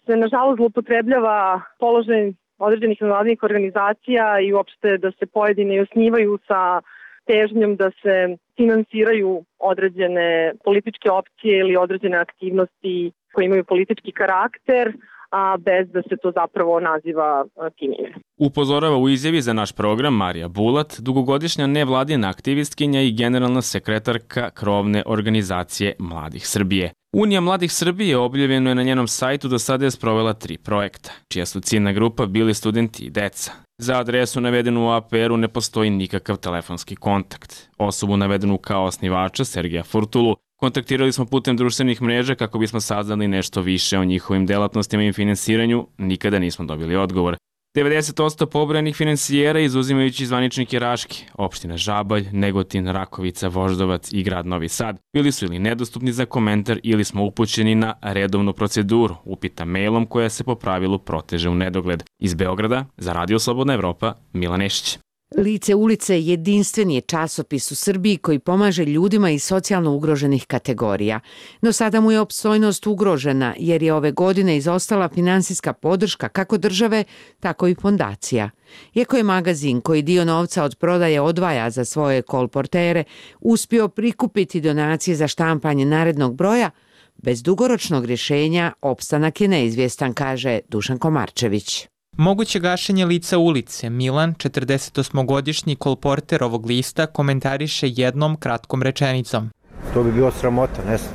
se nažalost zloupotrebljava položaj određenih nevladinih organizacija i uopšte da se pojedine osnivaju sa težnjom da se finansiraju određene političke opcije ili određene aktivnosti koje imaju politički karakter, a bez da se to zapravo naziva tim ime. Upozorava u izjavi za naš program Marija Bulat, dugogodišnja nevladina aktivistkinja i generalna sekretarka krovne organizacije Mladih Srbije. Unija Mladih Srbije objavljeno je na njenom sajtu do sada je sprovela 3 projekta, čija su ciljna grupa bili studenti i deca. Za adresu navedenu u APR-u ne postoji nikakav telefonski kontakt. Osobu navedenu kao osnivača, Sergeja Furtulu, kontaktirali smo putem društvenih mreža kako bismo saznali nešto više o njihovim delatnostima i finansiranju, nikada nismo dobili odgovor. 90% pobrojanih finansijera, izuzimajući zvaničnike Raške, opština Žabalj, Negotin, Rakovica, Voždovac i grad Novi Sad, bili su ili nedostupni za komentar ili smo upućeni na redovnu proceduru, upita mailom koja se po pravilu proteže u nedogled. Iz Beograda, za Radio Slobodna Evropa, Milan Nešić. Lice ulice jedinstven je časopis u Srbiji koji pomaže ljudima iz socijalno ugroženih kategorija. No sada mu je opstojnost ugrožena jer je ove godine izostala finansijska podrška kako države, tako i fondacija. Iako je magazin koji dio novca od prodaje odvaja za svoje kolportere uspio prikupiti donacije za štampanje narednog broja, bez dugoročnog rješenja opstanak je neizvjestan, kaže Dušan Komarčević. Moguće gašenje lica ulice Milan, 48-godišnji kolporter ovog lista, komentariše jednom kratkom rečenicom. To bi bio sramota, ne znam.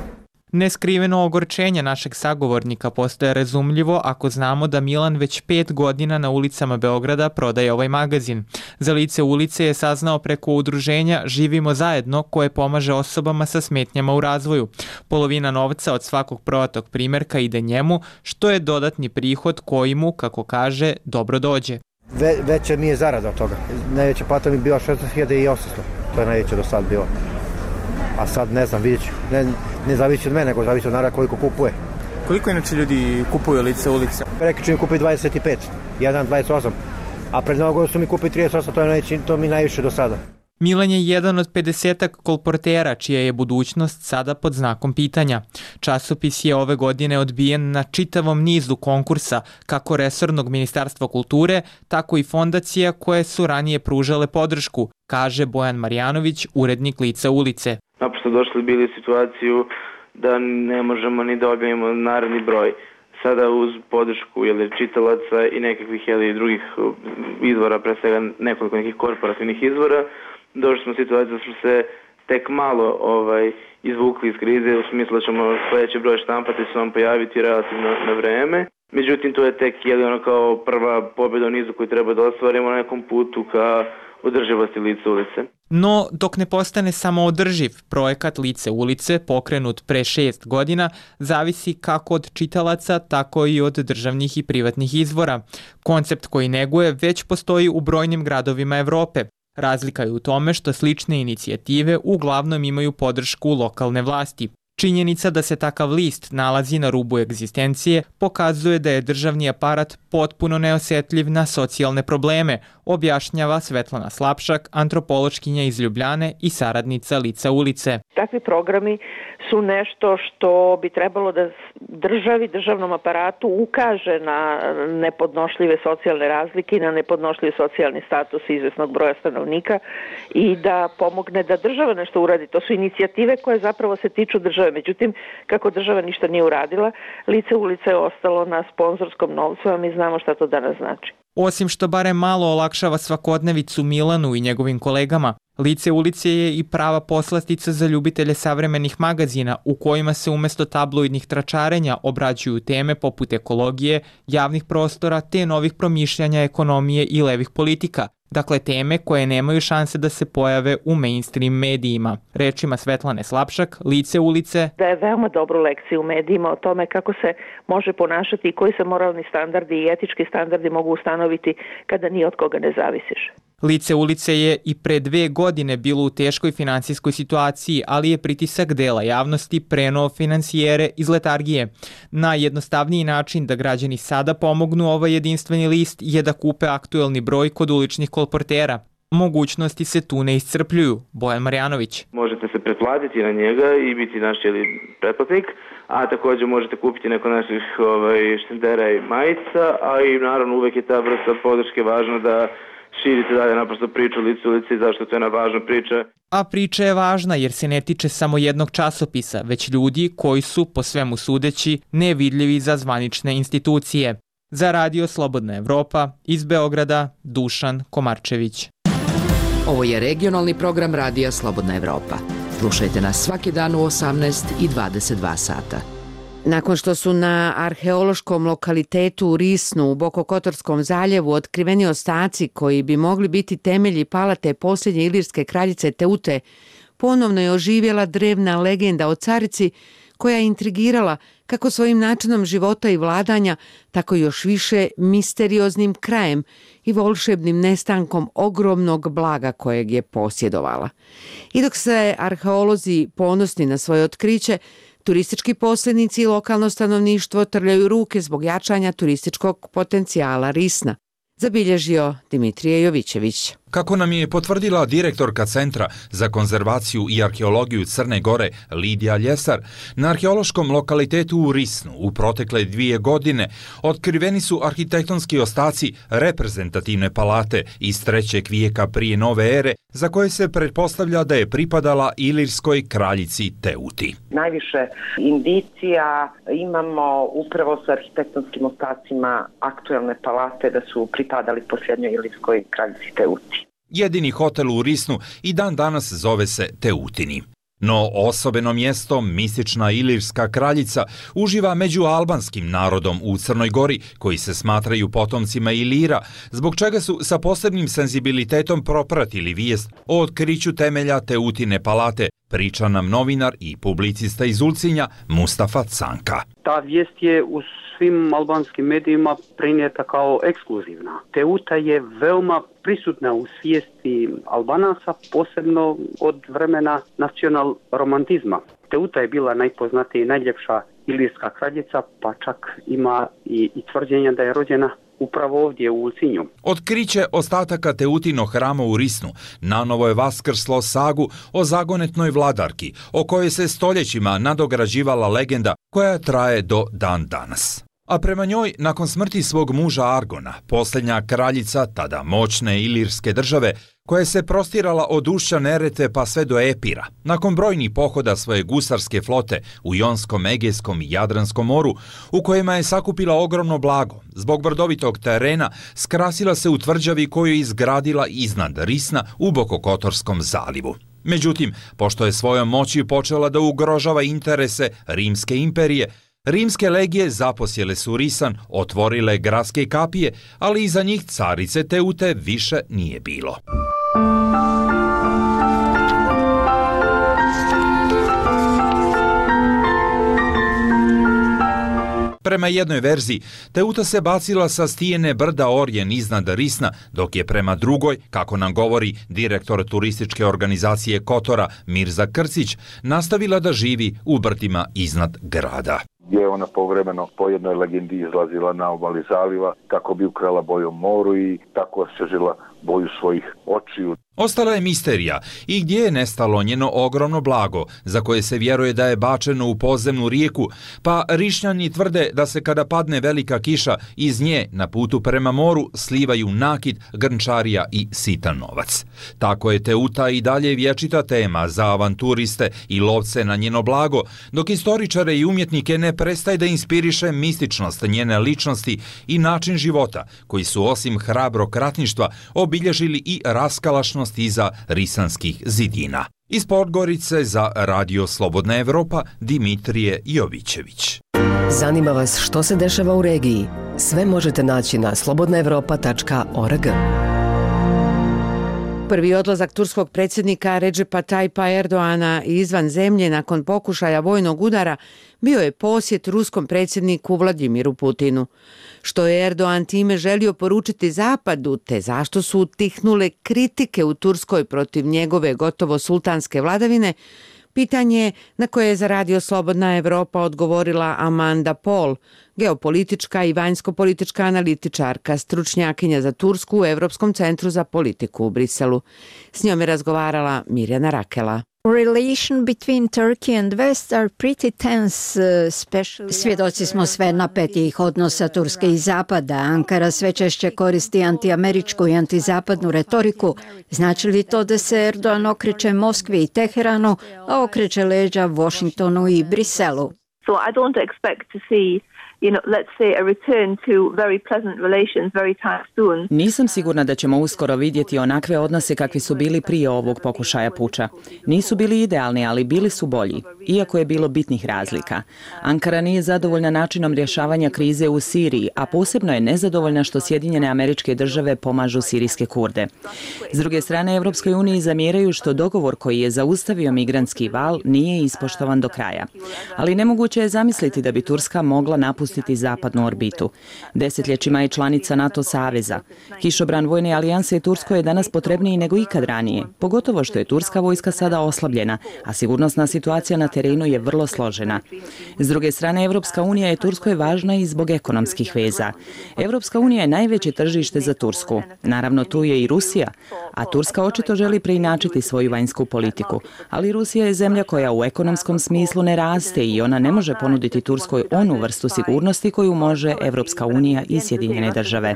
Neskriveno ogorčenje našeg sagovornika postaje razumljivo ako znamo da Milan već 5 godina na ulicama Beograda prodaje ovaj magazin. Za lice ulice je saznao preko udruženja Živimo zajedno koje pomaže osobama sa smetnjama u razvoju. Polovina novca od svakog prodatog primjerka ide njemu, što je dodatni prihod koji mu, kako kaže, dobro dođe. Veća mi je zarada od toga. Najveća plata mi je bila 16.800. To je najveća do sad bila. A sad ne znam, vidjet ću. Ne zavisi od mene, nego zavisi od naroda koliko kupuje. Koliko inače ljudi kupuju lice ulice? Rekli ću mi kupi 25, 1,28. A pred Novu godinu su mi kupi 38, to mi najviše do sada. Milan je jedan od 50 kolportera čija je budućnost sada pod znakom pitanja. Časopis je ove godine odbijen na čitavom nizu konkursa, kako resornog Ministarstva kulture, tako i fondacija koje su ranije pružale podršku, kaže Bojan Marjanović, urednik Lica ulice. Naprosto došli bili u situaciju da ne možemo ni da objavimo naredni broj. Sada uz podršku čitalaca i nekakvih drugih izvora, pre svega nekoliko nekih korporativnih izvora, došli smo u situaciju da smo se tek malo izvukli iz krize, u smislu da ćemo sljedeći broj štampati se vam pojaviti relativno na vreme. Međutim, to je tek kao prva pobjeda u nizu koju treba da ostvarimo na nekom putu ka održivosti Lica ulice. No, dok ne postane samo održiv, projekat Lice ulice, pokrenut pre 6 godina, zavisi kako od čitalaca, tako i od državnih i privatnih izvora. Koncept koji neguje već postoji u brojnim gradovima Evrope. Razlika je u tome što slične inicijative uglavnom imaju podršku lokalne vlasti. Činjenica da se takav list nalazi na rubu egzistencije pokazuje da je državni aparat potpuno neosjetljiv na socijalne probleme, objašnjava Svetlana Slapšak, antropološkinja iz Ljubljane i saradnica Lica ulice. Takvi programi su nešto što bi trebalo da državnom aparatu ukaže na nepodnošljive socijalne razlike i na nepodnošljiv socijalni status izvesnog broja stanovnika i da pomogne da država nešto uradi. To su inicijative koje zapravo se tiču države. Međutim, kako država ništa nije uradila, Lice ulice je ostalo na sponzorskom novcu, a mi znamo šta to danas znači. Osim što barem malo olakšava svakodnevicu Milanu i njegovim kolegama, Lice ulice je i prava poslastica za ljubitelje savremenih magazina u kojima se umjesto tabloidnih tračarenja obrađuju teme poput ekologije, javnih prostora te novih promišljanja ekonomije i levih politika. Dakle, teme koje nemaju šanse da se pojave u mainstream medijima. Rečima Svetlane Slapšak, Lice ulice daje veoma dobru lekciju u medijima o tome kako se može ponašati i koji se moralni standardi i etički standardi mogu ustanoviti kada ni od koga ne zavisiš. Lice ulice je i pre 2 godine bilo u teškoj financijskoj situaciji, ali je pritisak dela javnosti prenuo financijere iz letargije. Najjednostavniji način da građani sada pomognu ovaj jedinstveni list je da kupe aktuelni broj kod uličnih kolportera. Mogućnosti se tu ne iscrpljuju. Bojan Marjanović. Možete se pretplatiti na njega i biti naš pretplatnik, a također možete kupiti neko naših štendera i majica, a i naravno uvek je ta vrsta podrške važna da širite dalje naprosto priču Lice ulice i zašto to je jedna važna priča. A priča je važna jer se ne tiče samo jednog časopisa, već ljudi koji su, po svemu sudeći, nevidljivi za zvanične institucije. Za Radio Slobodna Evropa, iz Beograda, Dušan Komarčević. Ovo je regionalni program Radija Slobodna Evropa. Slušajte nas svaki dan u 18 i 22 sata. Nakon što su na arheološkom lokalitetu u Risnu u Bokokotorskom zaljevu otkriveni ostaci koji bi mogli biti temelji palate posljednje ilirske kraljice Teute, ponovno je oživjela drevna legenda o carici koja je intrigirala kako svojim načinom života i vladanja, tako još više misterioznim krajem i volšebnim nestankom ogromnog blaga kojeg je posjedovala. I dok se arheolozi ponosni na svoje otkriće, turistički posrednici i lokalno stanovništvo trljaju ruke zbog jačanja turističkog potencijala Risna, zabilježio Dimitrije Jovićević. Kako nam je potvrdila direktorka Centra za konzervaciju i arheologiju Crne Gore Lidija Ljesar, na arheološkom lokalitetu u Risnu u protekle 2 godine otkriveni su arhitektonski ostaci reprezentativne palate iz 3. vijeka prije nove ere, za koje se pretpostavlja da je pripadala ilirskoj kraljici Teuti. Najviše indicija imamo upravo sa arhitektonskim ostacima aktuelne palate da su pripadali posljednjoj ilirskoj kraljici Teuti. Jedini hotel u Risnu i dan danas zove se Teutini. No osobeno mjesto, mistična ilirska kraljica, uživa među albanskim narodom u Crnoj Gori, koji se smatraju potomcima Ilira, zbog čega su sa posebnim senzibilitetom propratili vijest o otkriću temelja Teutine palate, priča nam novinar i publicista iz Ulcinja Mustafa Canka. Ta vijest je u svim albanskim medijima prinijeta kao ekskluzivna. Teuta je veoma prisutna u svijesti Albanaca, posebno od vremena nacional romantizma. Teuta je bila najpoznatija i najljepša ilirska kraljica, pa čak ima i tvrđenja da je rođena upravo ovdje u Ulcinju. Otkriće ostataka Teutinog hrama u Risnu nanovo je vaskrslo sagu o zagonetnoj vladarki, o kojoj se stoljećima nadograđivala legenda koja traje do dan danas. A prema njoj, nakon smrti svog muža Argona, posljednja kraljica tada moćne ilirske države, koja se prostirala od ušća Neretve pa sve do Epira, nakon brojnih pohoda svoje gusarske flote u Jonskom, Egejskom i Jadranskom moru, u kojima je sakupila ogromno blago, zbog brdovitog terena skrasila se u tvrđavi koju je izgradila iznad Risna u Bokokotorskom zalivu. Međutim, pošto je svojom moći počela da ugrožava interese Rimske imperije, rimske legije zaposjele su Risan, otvorile gradske kapije, ali iza njih carice Teute više nije bilo. Prema jednoj verziji, Teuta se bacila sa stijene brda Orjen iznad Risna, dok je prema drugoj, kako nam govori direktor turističke organizacije Kotora Mirza Krcić, nastavila da živi u brdima iznad grada. Gdje je ona povremeno po jednoj legendi izlazila na obali zaliva kako bi ukrala boju moru i tako osvježila boju svojih očiju. Ostala je misterija i gdje je nestalo njeno ogromno blago, za koje se vjeruje da je bačeno u podzemnu rijeku, pa Rišnjani tvrde da se kada padne velika kiša, iz nje na putu prema moru slivaju nakit, grnčarija i sitan novac. Tako je Teuta i dalje vječita tema za avanturiste i lovce na njeno blago, dok istoričare i umjetnike ne prestaje da inspiriše mističnost njene ličnosti i način života, koji su osim hrabrog ratništva obilježili i raskalašnost iza risanskih zidina. Iz Podgorice za Radio Slobodna Evropa, Dimitrije Jovićević. Zanima vas što se dešava u regiji? Sve možete naći na slobodnaevropa.org. Prvi odlazak turskog predsjednika Recepa Tayyipa Erdoana izvan zemlje nakon pokušaja vojnog udara bio je posjet ruskom predsjedniku Vladimiru Putinu. Što je Erdoan time želio poručiti Zapadu, te zašto su utihnule kritike u Turskoj protiv njegove gotovo sultanske vladavine, pitanje na koje je za Radio Slobodna Evropa odgovorila Amanda Paul, geopolitička i vanjsko-politička analitičarka, stručnjakinja za Tursku u Europskom centru za politiku u Briselu. S njom je razgovarala Mirjana Rakela. Svjedoci smo sve napetijih odnosa Turske i Zapada. Ankara sve češće koristi antiameričku i antizapadnu retoriku. Znači li to da se Erdogan okreće Moskvi i Teheranu, a okreće leđa Washingtonu i Briselu? So I don't expect to see let's say a return to very pleasant relations very time soon. Nisam sigurna da ćemo uskoro vidjeti onakve odnose kakvi su bili prije ovog pokušaja puča. Nisu bili idealni, ali bili su bolji, iako je bilo bitnih razlika. Ankara nije zadovoljna načinom rješavanja krize u Siriji, a posebno je nezadovoljna što Sjedinjene Američke Države pomažu sirijske Kurde. S druge strane, Evropskoj uniji zamjeraju što dogovor koji je zaustavio migrantski val nije ispoštovan do kraja. Ali nemoguće je zamisliti da bi Turska mogla napustiti zapadnu orbitu. Desetljećima je članica NATO saveza. Kišobran vojne alijanse Turskoj je danas potrebniji nego ikad ranije, pogotovo što je turska vojska sada oslabljena, a sigurnosna situacija na terenu je vrlo složena. S druge strane, Evropska unija je Turskoj važna i zbog ekonomskih veza. Evropska unija je najveće tržište za Tursku. Naravno, tu je i Rusija, a Turska očito želi preinačiti svoju vanjsku politiku. Ali Rusija je zemlja koja u ekonomskom smislu ne raste i ona ne može ponuditi Turskoj onu vrstu sigurnosti koju može Evropska unija i Sjedinjene Države.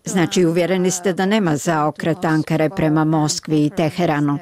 Znači, uvjereni ste da nema zaokreta Ankare prema Moskvi i Teheranu.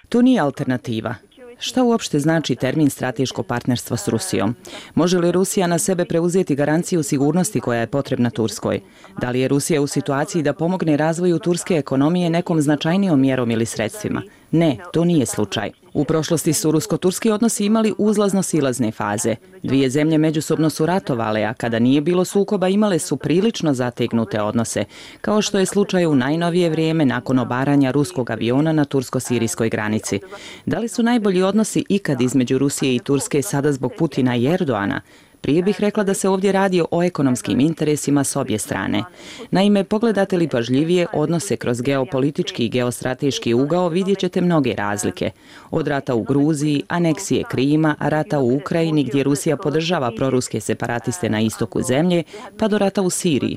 To nije alternativa. Šta uopšte znači termin strateško partnerstvo s Rusijom? Može li Rusija na sebe preuzeti garanciju sigurnosti koja je potrebna Turskoj? Da li je Rusija u situaciji da pomogne razvoju turske ekonomije nekom značajnijom mjerom ili sredstvima? Ne, to nije slučaj. U prošlosti su rusko-turski odnosi imali uzlazno-silazne faze. Dvije zemlje međusobno su ratovale, a kada nije bilo sukoba imale su prilično zategnute odnose, kao što je slučaj u najnovije vrijeme nakon obaranja ruskog aviona na tursko-sirijskoj granici. Da li su najbolji odnosi ikad između Rusije i Turske sada zbog Putina i Erdoana? Prije bih rekla da se ovdje radi o ekonomskim interesima s obje strane. Naime, pogledate li pažljivije odnose kroz geopolitički i geostrateški ugao, vidjet ćete mnoge razlike. Od rata u Gruziji, aneksije Krima, rata u Ukrajini gdje Rusija podržava proruske separatiste na istoku zemlje, pa do rata u Siriji.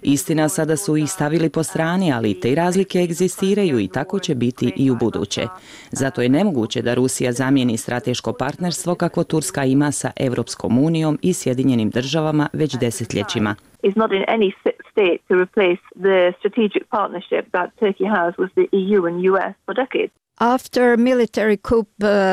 Istina, sada su ih stavili po strani, ali te razlike egzistiraju i tako će biti i u buduće. Zato je nemoguće da Rusija zamijeni strateško partnerstvo kako Turska ima sa Evropskom unijom i Sjedinjenim državama već desetljećima. Is not in any state to replace the strategic partnership that Turkey has with the EU and US for decades. After military coup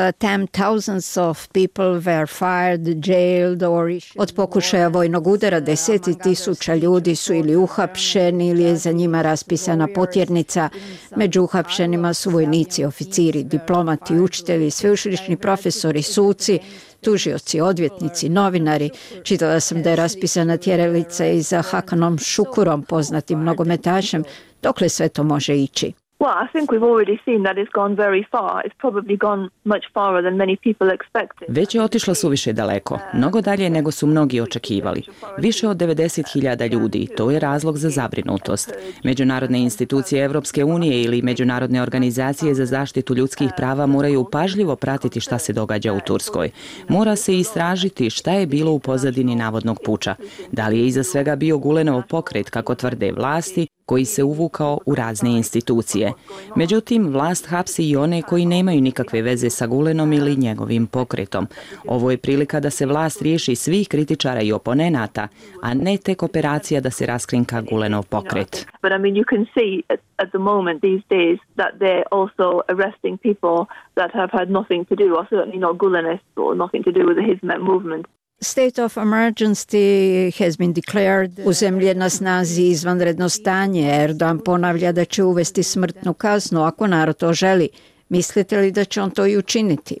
attempt, thousands of people were fired, jailed or od pokušaja vojnog udara 10.000 ljudi su ili uhapšeni ili je za njima raspisana potjernica. Među uhapšenima su vojnici, oficiri, diplomati, učitelji, sveučilišni profesori, suci, tužioci, odvjetnici, novinari. Čitala sam da je raspisana tjeralica i za Hakanom Šukurom, poznatim nogometašem. Dokle sve to može ići? Well, I think we've already seen that it's gone very far. It's probably gone much farther than many people expected. Već je otišlo suviše daleko, mnogo dalje nego su mnogi očekivali. Više od 90.000 ljudi, to je razlog za zabrinutost. Međunarodne institucije Evropske unije ili međunarodne organizacije za zaštitu ljudskih prava moraju pažljivo pratiti šta se događa u Turskoj. Mora se istražiti šta je bilo u pozadini navodnog puča. Da li je iza svega bio Gulenov pokret, kako tvrde vlasti, koji se uvukao u razne institucije. Međutim, vlast hapsi i one koji nemaju nikakve veze sa Gulenom ili njegovim pokretom. Ovo je prilika da se vlast riješi svih kritičara i oponenata, a ne tek operacija da se raskrinka Gulenov pokret. But I mean, you can see at the moment these days that they're also arresting people that have had nothing to do, or certainly not Gulenists, or nothing to do with the Hizmet movement. State of emergency has been declared. U zemlji je na snazi izvanredno stanje. Erdogan ponavlja da će uvesti smrtnu kaznu ako narod to želi. Mislite li da će on to i učiniti?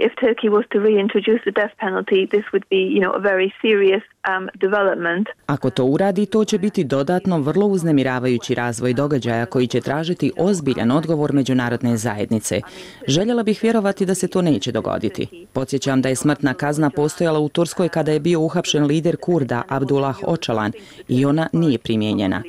If Turkey was to reintroduce the death penalty, this would be, a very serious development. Ako to uradi, to će biti dodatno vrlo uznemiravajući razvoj događaja koji će tražiti ozbiljan odgovor međunarodne zajednice. Željela bih vjerovati da se to neće dogoditi. Podsjećam da je smrtna kazna postojala u Turskoj kada je bio uhapšen lider Kurda Abdullah Öcalan i ona nije primijenjena.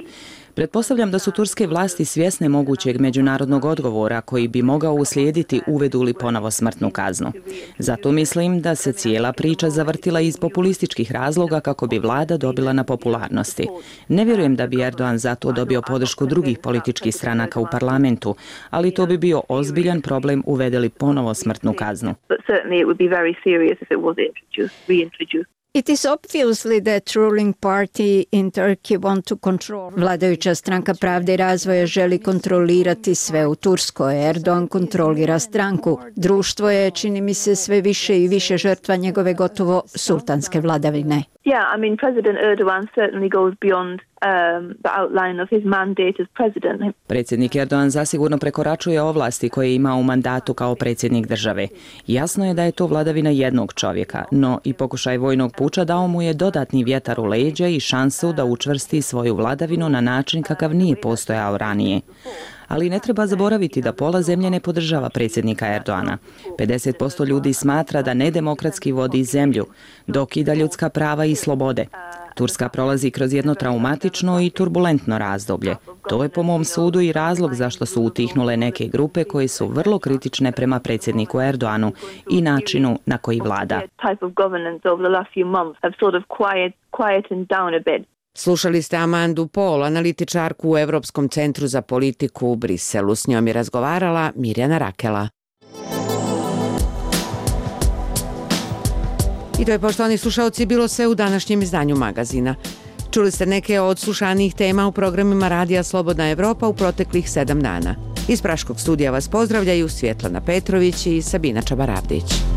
Pretpostavljam da su turske vlasti svjesne mogućeg međunarodnog odgovora koji bi mogao uslijediti uvedu li ponovo smrtnu kaznu. Zato mislim da se cijela priča zavrtila iz populističkih razloga kako bi vlada dobila na popularnosti. Ne vjerujem da bi Erdogan zato dobio podršku drugih političkih stranaka u parlamentu, ali to bi bio ozbiljan problem uvede li ponovo smrtnu kaznu. It is obviously that ruling party in Turkey want to control. Vladajuća stranka Pravde i razvoja želi kontrolirati sve u Turskoj. Erdogan kontrolira stranku. Društvo je, čini mi se, sve više i više žrtva njegove gotovo sultanske vladavine. Yeah, I mean, President Erdogan certainly goes beyond the outline of his mandate as president. Predsjednik Erdogan zasigurno prekoračuje ovlasti koje ima u mandatu kao predsjednik države. Jasno je da je to vladavina jednog čovjeka, no i pokušaj vojnog puča dao mu je dodatni vjetar u leđa i šansu da učvrsti svoju vladavinu na način kakav nije postojao ranije. Ali ne treba zaboraviti da pola zemlje ne podržava predsjednika Erdoana. 50% ljudi smatra da nedemokratski vodi zemlju, dokida ljudska prava i slobode. Turska prolazi kroz jedno traumatično i turbulentno razdoblje. To je po mom sudu i razlog zašto su utihnule neke grupe koje su vrlo kritične prema predsjedniku Erdoanu i načinu na koji vlada. Slušali ste Amandu Pol, analitičarku u Evropskom centru za politiku u Briselu. S njom je razgovarala Mirjana Rakela. I to je, poštovani slušalci, bilo sve u današnjem izdanju magazina. Čuli ste neke od slušanijih tema u programima Radija Slobodna Evropa u proteklih 7 dana. Iz Praškog studija vas pozdravljaju Svjetlana Petrović i Sabina Čabarabdić.